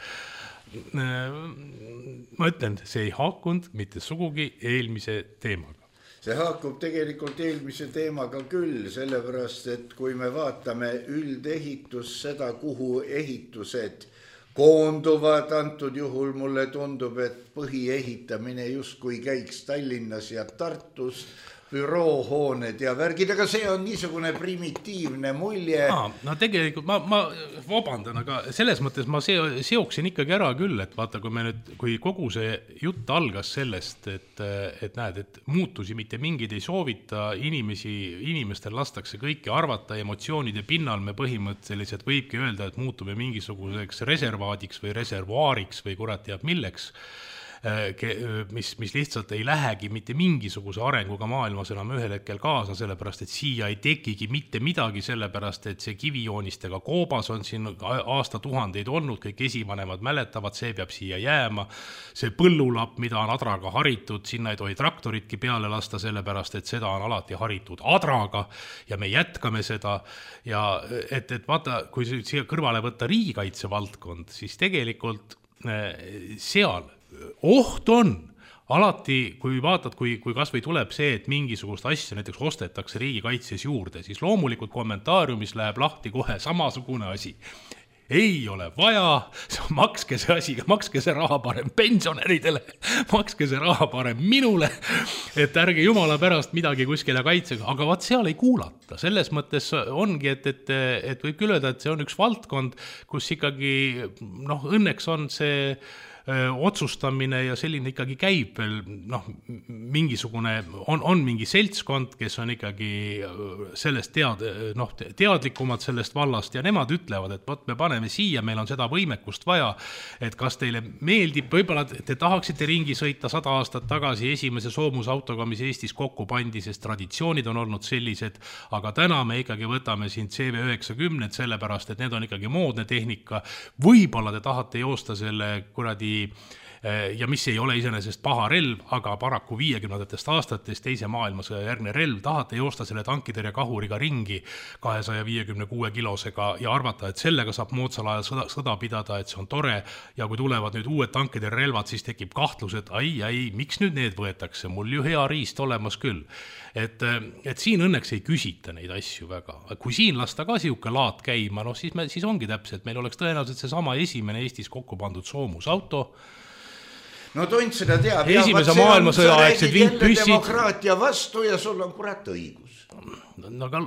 Ma ütlen, see ei haakunud mitte sugugi eelmise teemaga.
See haakub tegelikult eelmise teemaga küll, sellepärast, et kui me vaatame üldehitus, seda, kuhu ehitused koonduvad, antud juhul mulle tundub, et põhiehitamine justkui käiks Tallinnas ja Tartus, büroohooned ja värgid, aga see on niisugune primitiivne mulje.
Aa, no tegelikult ma, ma vabandan, aga selles mõttes ma seoksin ikkagi ära küll, et vaata, kui, me nüüd, kui kogu see jutt algas sellest, et, et näed, et muutusi mitte mingid ei soovita, inimesi, inimestel lastakse kõiki arvata, emotsioonide pinnal me põhimõtteliselt võibki öelda, et muutume mingisuguseks reservaadiks või reservuaariks või kurat teab milleks, mis, mis lihtsalt ei lähegi mitte mingisuguse arenguga maailmas enam ühel hetkel kaasa, sellepärast, et siia ei tekigi mitte midagi, sellepärast, et see kivijoonistega koobas on siin aastatuhandeid olnud, kõik esivanemad mäletavad, see peab siia jääma, see põllulapp, mida on adraga haritud, sinna ei tohi traktoritki peale lasta, sellepärast, et seda on alati haritud adraga ja me jätkame seda ja et, et vaata, kui siia kõrvale võtta riigikaitse valdkond, siis tegelikult seal oht on alati, kui vaatad, kui, kui kas või tuleb see, et mingisugust asja näiteks ostetakse riigikaitses juurde, siis loomulikult kommentaariumis läheb lahti kohe samasugune asi. Ei ole vaja, makske see asi, makske see raha parem pensionäridele, makske see raha parem minule, et ärge jumala pärast midagi kuskile kaitsega, aga vaat seal ei kuulata. Selles mõttes ongi, et, et, et võib küll öelda, et see on üks valdkond, kus ikkagi, noh, õnneks on see otsustamine ja selline ikkagi käib veel, noh, mingisugune, on, on mingi seltskond, kes on ikkagi sellest tead, noh, teadlikumad sellest vallast ja nemad ütlevad, et võt, me paneme siia, meil on seda võimekust vaja, et kas teile meeldib, võib-olla te tahaksite ringi sõita sada aastat tagasi esimese soomusautoga, mis Eestis kokku pandi, sest traditsioonid on olnud sellised, aga täna me ikkagi võtame siin C V üheksakümmend, sellepärast, et need on ikkagi moodne tehnika, võib-olla te tahate joosta selle kuradi ja mis ei ole iseenesest paha relv, aga paraku viiekümnendatest aastatest teise maailmasõja järgne relv, tahate joosta selle tankitõrje kahuriga ringi kahesaja viiekümne kuue kilosega ja arvata, et sellega saab moodsal ajal sõda, sõda pidada, et see on tore ja kui tulevad nüüd uued tankitõrje relvad, siis tekib kahtlus, et ai, ai, miks nüüd need võetakse, mul ju hea riist olemas küll. Et, et siin õnneks ei küsita neid asju väga. Kui siin lasta ka siuke laat käima, no siis, me, siis ongi täpselt, meil oleks tõenäoliselt see sama esimene Eestis kokku pandud soomusauto.
No Tont seda teab.
Esimese maailmasõja aegsed vintpüssid.
Demokraatia vastu ja sul on kurat õigus.
No aga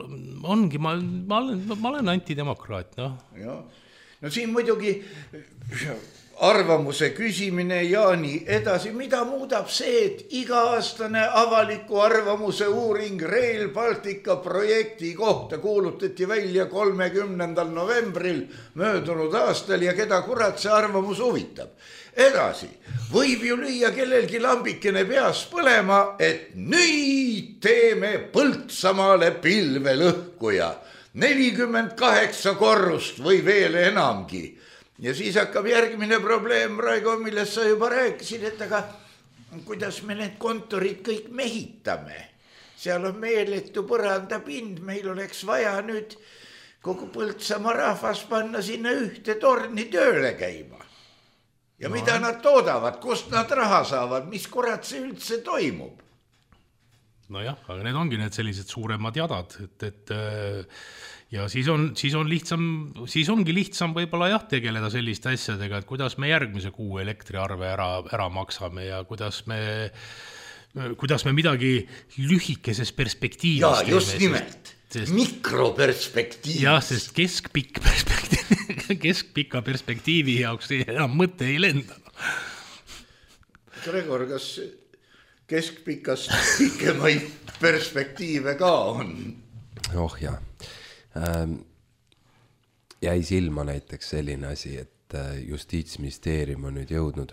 ongi, ma, ma, olen, ma olen antidemokraat, noh.
Ja. No siin muidugi arvamuse küsimine ja nii edasi, mida muudab see, et iga-aastane avaliku arvamuse uuring Rail Baltica projekti kohta kuulutati välja kolmekümnendal novembril möödunud aastal ja keda kurat see arvamus huvitab. Edasi, võib ju lüüa kellelgi lambikene peas põlema, et nüüd teeme Põltsamaale pilvelõhkuja, nelikümmend kaheksa korrust või veel enamgi. Ja siis hakkab järgmine probleem, Raigo, millest sa juba rääkisid, et aga kuidas me need kontorid kõik mehitame. Seal on meeletu põrandapind, meil oleks vaja nüüd kogu Põltsamaa rahvas panna sinna ühte torni tööle käima. Ja no. Mida nad toodavad, kust nad raha saavad, mis kurat see üldse toimub?
No jah, aga need ongi need sellised suuremad jadad, et, et ja siis on, siis on lihtsam, siis ongi lihtsam võib-olla jah tegeleda selliste asjadega, et kuidas me järgmise kuu elektriarve ära, ära maksame ja kuidas me, kuidas me midagi lühikeses perspektiivis
ja, teeme. Ja just nimelt, sest, mikroperspektiivis.
Jah, sest keskpikk perspektiiv, keskpika perspektiivi jaoks enam mõte ei lenda.
Gregor, kas keskpikast pikemaid perspektiive ka on.
Oh jah. Ähm, jäi silma näiteks selline asi, et Justiitsministeerium on nüüd jõudnud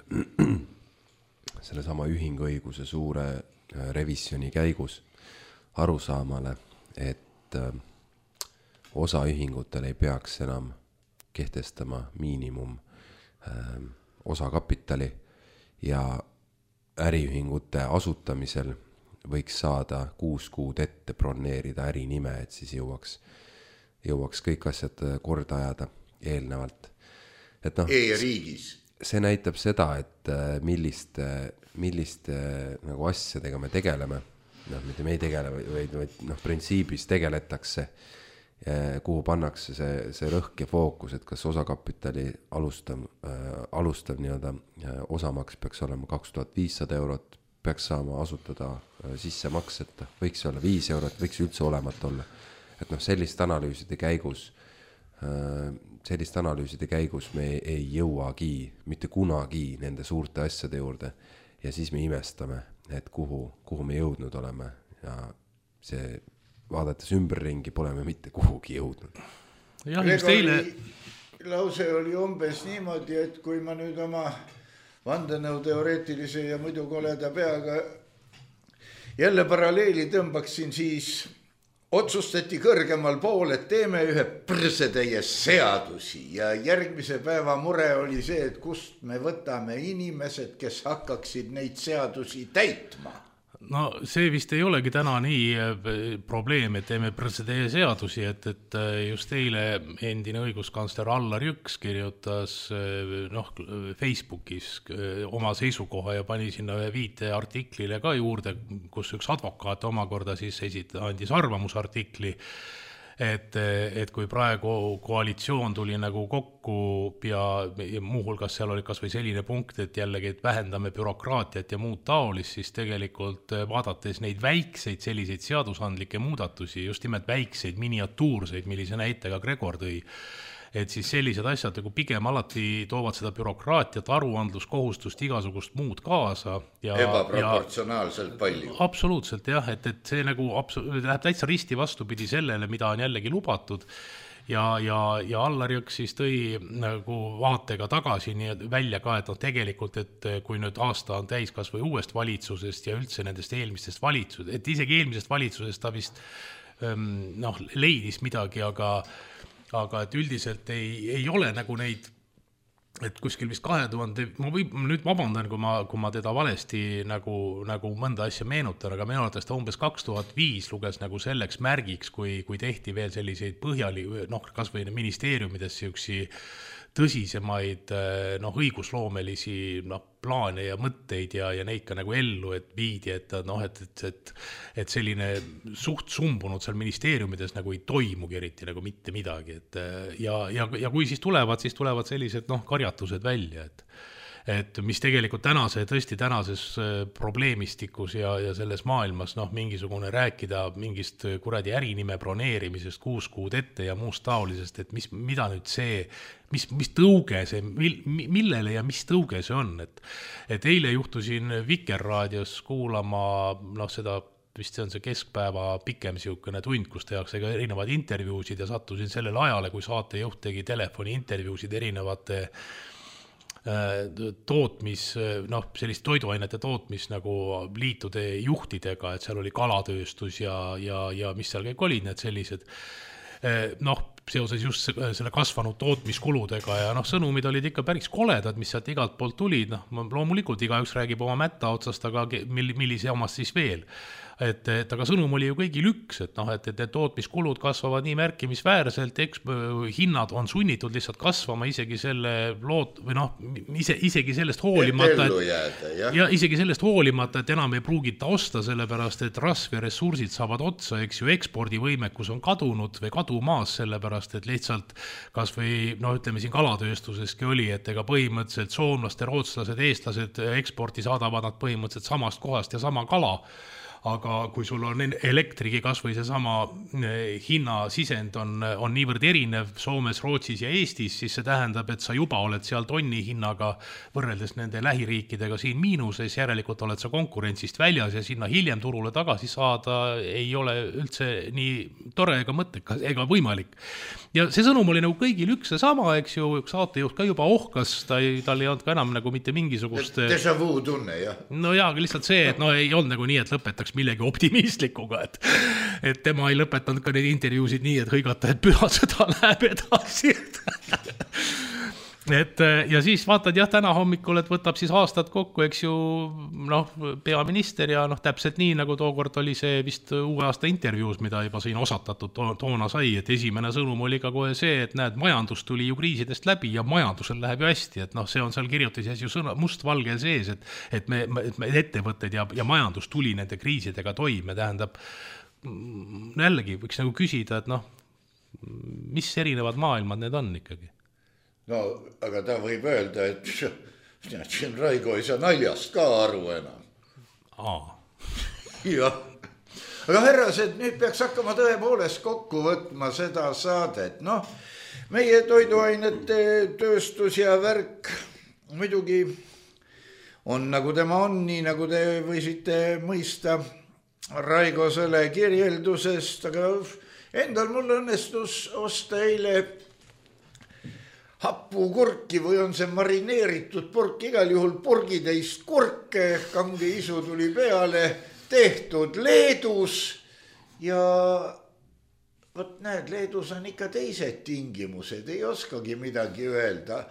selle sama ühinguõiguse suure revisjoni käigus arusaamale, et osaühingutel ei peaks enam kehtestama miinimum osakapitali ja äriühingute asutamisel võiks saada kuus kuud ette broneerida ärinime, et siis jõuaks, jõuaks kõik asjad korda ajada eelnevalt. Et noh,
E-riigis.
See näitab seda, et milliste, milliste nagu asjadega me tegeleme. Noh, mitte me ei tegele, vaid, vaid noh, printsiibis tegeletakse, kuhu pannakse see, see rõhk ja fookus, et kas osakapitali alustav, äh, alustav nii-öelda osamaks peaks olema kaks tuhat viissada eurot, peaks saama asutada äh, sissemakseta, võiks olla viis eurot, võiks üldse olemata olla. Et noh, sellist analüüside käigus, äh, sellist analüüside käigus me ei jõuagi mitte kunagi nende suurte asjade juurde ja siis me imestame, et kuhu, kuhu me jõudnud oleme ja see vaadates ümberringi pole me mitte kuhugi jõudnud.
Jah, just teile...
Lause oli umbes niimoodi, et kui ma nüüd oma vandenõu teoreetilise ja muidu koleda peaga jälle paralleeli tõmbaksin, siis otsustati kõrgemal pool, et teeme ühe prõsetäie seadusi ja järgmise päeva mure oli see, et kust me võtame inimesed, kes hakkaksid neid seadusi täitma.
No see vist ei olegi täna nii probleem, et teeme prõsetäie seadusi, et, et just eile endine õiguskantsler Allar Jõks kirjutas noh, Facebookis oma seisukoha ja pani sinna ühe viite artiklile ka juurde, kus üks advokaat omakorda siis esit, andis arvamusartikli, et, et kui praegu koalitsioon tuli nagu kokku ja, ja muuhulgas seal oli kas või selline punkt, et jällegi et vähendame bürokraatiat ja muud taolist, siis tegelikult vaadates neid väikseid selliseid seadusandlikke muudatusi, just nimelt väikseid miniatuurseid, millise näite ka Gregor tõi, et siis sellised asjad nagu pigem alati toovad seda bürokraatiat, aruandluskohustust, igasugust muud kaasa. Ja,
ebaproportsionaalselt ja, palju.
Absoluutselt jah, et, et see nagu abso- läheb täitsa risti vastupidi sellele, mida on jällegi lubatud. Ja, ja, ja Allar Jõks siis tõi nagu vaatega tagasi nii välja ka, et no tegelikult, et kui nüüd aasta on täis kas või uuest valitsusest ja üldse nendest eelmistest valitsusest, et isegi eelmisest valitsusest ta vist noh, leidis midagi, aga aga et üldiselt ei, ei ole nagu neid, et kuskil vist kahe tuhande, ma või, nüüd vabandan, kui ma, kui ma teda valesti nagu, nagu mõnda asja meenutan, aga minu arvates ta umbes kaks tuhat viis luges nagu selleks märgiks, kui, kui tehti veel selliseid põhjali, noh, kas või ministeeriumides siuksi tõsisemaid noh, õigusloomelisi noh, plaane ja mõtteid ja, ja neid ka nagu ellu, et viidi, et, noh, et, et, et, et selline suht sumbunud seal ministeeriumides nagu ei toimugi eriti nagu mitte midagi. Et, ja, ja, ja kui siis tulevad, siis tulevad sellised noh, karjatused välja, et et mis tegelikult tänase, tõesti tänases probleemistikus ja, ja selles maailmas noh, mingisugune rääkida mingist kuradi ärinime broneerimisest kuus kuud ette ja muust taolisest, et mis, mida nüüd see, mis, mis tõuge see, mil, millele ja mis tõuge see on, et, et eile juhtusin Vikerraadios kuulama noh, seda vist see on see keskpäeva pikem siukene tund, kus tehakse ka erinevad intervjuusid ja sattusin sellele ajale, kui saatejuht tegi telefoni intervjuusid erinevate tootmis, noh, sellist toiduainete tootmis nagu liitude juhtidega, et seal oli kalatööstus ja, ja, ja mis seal kõik olid need sellised, noh, seoses just selle kasvanud tootmiskuludega ja noh, sõnumid olid ikka päris koledad, mis sealt igalt poolt tulid, noh, loomulikult igaüks räägib oma mätta otsast, aga millise omast siis veel. Et, et aga sõnum oli ju kõigil üks, et noh, et, et need tootmiskulud kasvavad nii märkimisväärselt, eks hinnad on sunnitud lihtsalt kasvama isegi selle loot, või noh, ise, isegi sellest hoolimata, et,
jääda, ja.
ja isegi sellest hoolimata, et enam ei pruugita osta, sellepärast, et rasv ja ressursid saavad otsa, eks ju, ekspordivõimekus on kadunud või kadumaas, sellepärast, et lihtsalt kas või, no ütleme siin kalatööstuseski oli, et ega põhimõtteliselt soomlaste, rootslased, eestlased eksporti saadavad nad põhimõtteliselt samast kohast ja sama kala. aga kui sul on elektrigi kas või seesama hinnasisend on, on niivõrd erinev Soomes, Rootsis ja Eestis, siis see tähendab, et sa juba oled seal tonni hinnaga võrreldes nende lähiriikidega siin miinuses, järelikult oled sa konkurentsist väljas ja sinna hiljem turule tagasi saada ei ole üldse nii tore ega mõttekas ega võimalik. Ja see sõnum oli nagu kõigil üks ja sama, eks ju, üks saatejuht ka juba ohkas, ta ei, tal ei olnud ka enam nagu mitte mingisugust...
Déjà vu tunne, jah.
No jaa, lihtsalt see, et no ei olnud nagu nii, et lõpetaks millegi optimistlikuga, et, et tema ei lõpetanud ka neid intervjuusid nii, et hõigata, et pühasõda läheb edasi. Et, ja siis vaatad jah täna hommikul, et võtab siis aastad kokku, eks ju, noh, peaminister ja noh, täpselt nii, nagu tookord oli see vist uue aasta intervjuus, mida juba siin osatatud to toona sai, et esimene sõnum oli ka kohe see, et näed, majandus tuli ju kriisidest läbi ja majandusel läheb ju hästi, et noh, see on seal kirjutises ju sõna, mustvalgel sees, et, et me, et me ettevõtted ja, ja majandus tuli nende kriisidega toime, tähendab, jällegi võiks nagu küsida, et noh, mis erinevad maailmad need on ikkagi?
No, aga ta võib öelda, et siin Raigo ei saa naljast ka aru enam.
Aa.
Jah. Aga härrased, nüüd peaks hakkama tõepoolest kokku võtma seda saadet. Noh, meie toiduainete tööstus ja värk muidugi on nagu tema on, nii nagu te võisite mõista Raigo selle kirjeldusest, aga endal mul õnnestus osta eile happu kurki või on see marineeritud purk, igal juhul purgitäist kurke, kange isu tuli peale, tehtud Leedus ja võt näed, Leedus on ikka teised tingimused, ei oskagi midagi öelda.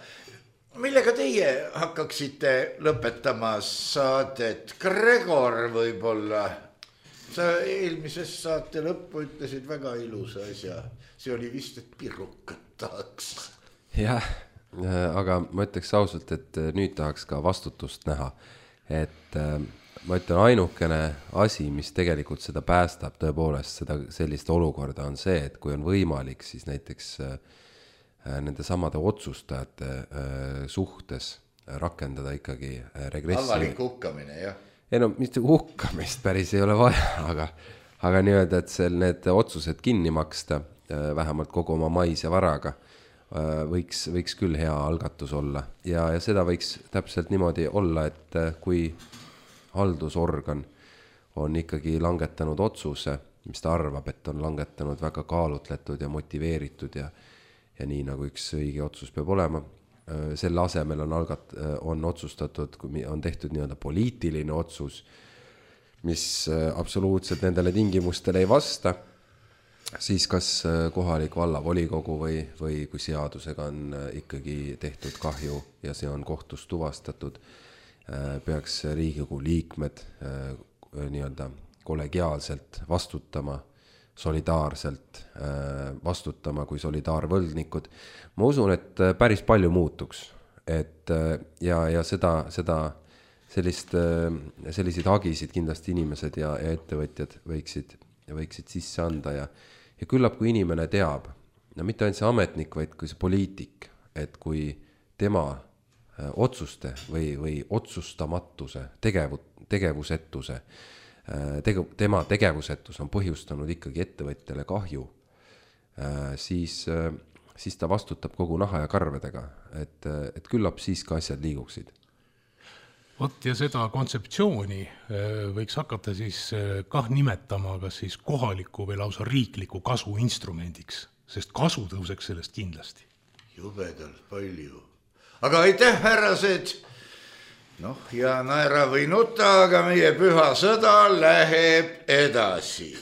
Millega teie hakkaksite lõpetama saadet? Gregor võib-olla? Sa eelmises saate lõppu ütlesid väga ilusa asja. See oli vist, et pirrukat tahaks.
Jah, aga ma ütleks ausalt, et nüüd tahaks ka vastutust näha, et ma ütlen ainukene asi, mis tegelikult seda päästab tõepoolest seda sellist olukorda on see, et kui on võimalik, siis näiteks nende samade otsustajate suhtes rakendada ikkagi regressi.
Avalik hukkamine, jah.
Ei no, mitte hukkamist päris ei ole vaja, aga, aga nii-öelda, et seal need otsused kinni maksta, vähemalt kogu oma mais ja varaga, võiks, võiks küll hea algatus olla ja, ja seda võiks täpselt niimoodi olla, et kui haldusorgan on ikkagi langetanud otsuse, mis ta arvab, et on langetanud väga kaalutletud ja motiveeritud ja, ja nii nagu üks õige otsus peab olema, selle asemel on, algat, on otsustatud, kui on tehtud nii-öelda poliitiline otsus, mis absoluutselt nendele tingimustele ei vasta, siis kas kohalik vallavolikogu või, või kui seadusega on ikkagi tehtud kahju ja see on kohtus tuvastatud, peaks Riigikogu liikmed nii-öelda kollegiaalselt vastutama, solidaarselt vastutama kui solidaarvõlgnikud. Ma usun, et päris palju muutuks, et ja, ja seda, seda sellist, selliseid hagisid kindlasti inimesed ja, ja ettevõtjad võiksid, võiksid sisse anda ja Ja küllap, kui inimene teab, no mitte ainult see ametnik, vaid kui see poliitik, et kui tema otsuste või, või otsustamatuse, tegevu, tegevusetuse, tege, tema tegevusetus on põhjustanud ikkagi ettevõtjale kahju, siis, siis ta vastutab kogu naha ja karvedega, et, et küllap siis ka asjad liiguksid.
Vot ja seda kontseptsiooni võiks hakata siis kah nimetama kas siis kohaliku või lausa riikliku kasu instrumendiks, sest kasu tõuseks sellest kindlasti.
Jubedalt palju. Aga aitäh, härrased! Noh, ja naera või nuta, aga meie püha sõda läheb edasi.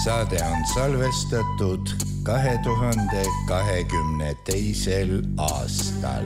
saade on salvestatud kahe tuhande kahekümne teisel aastal.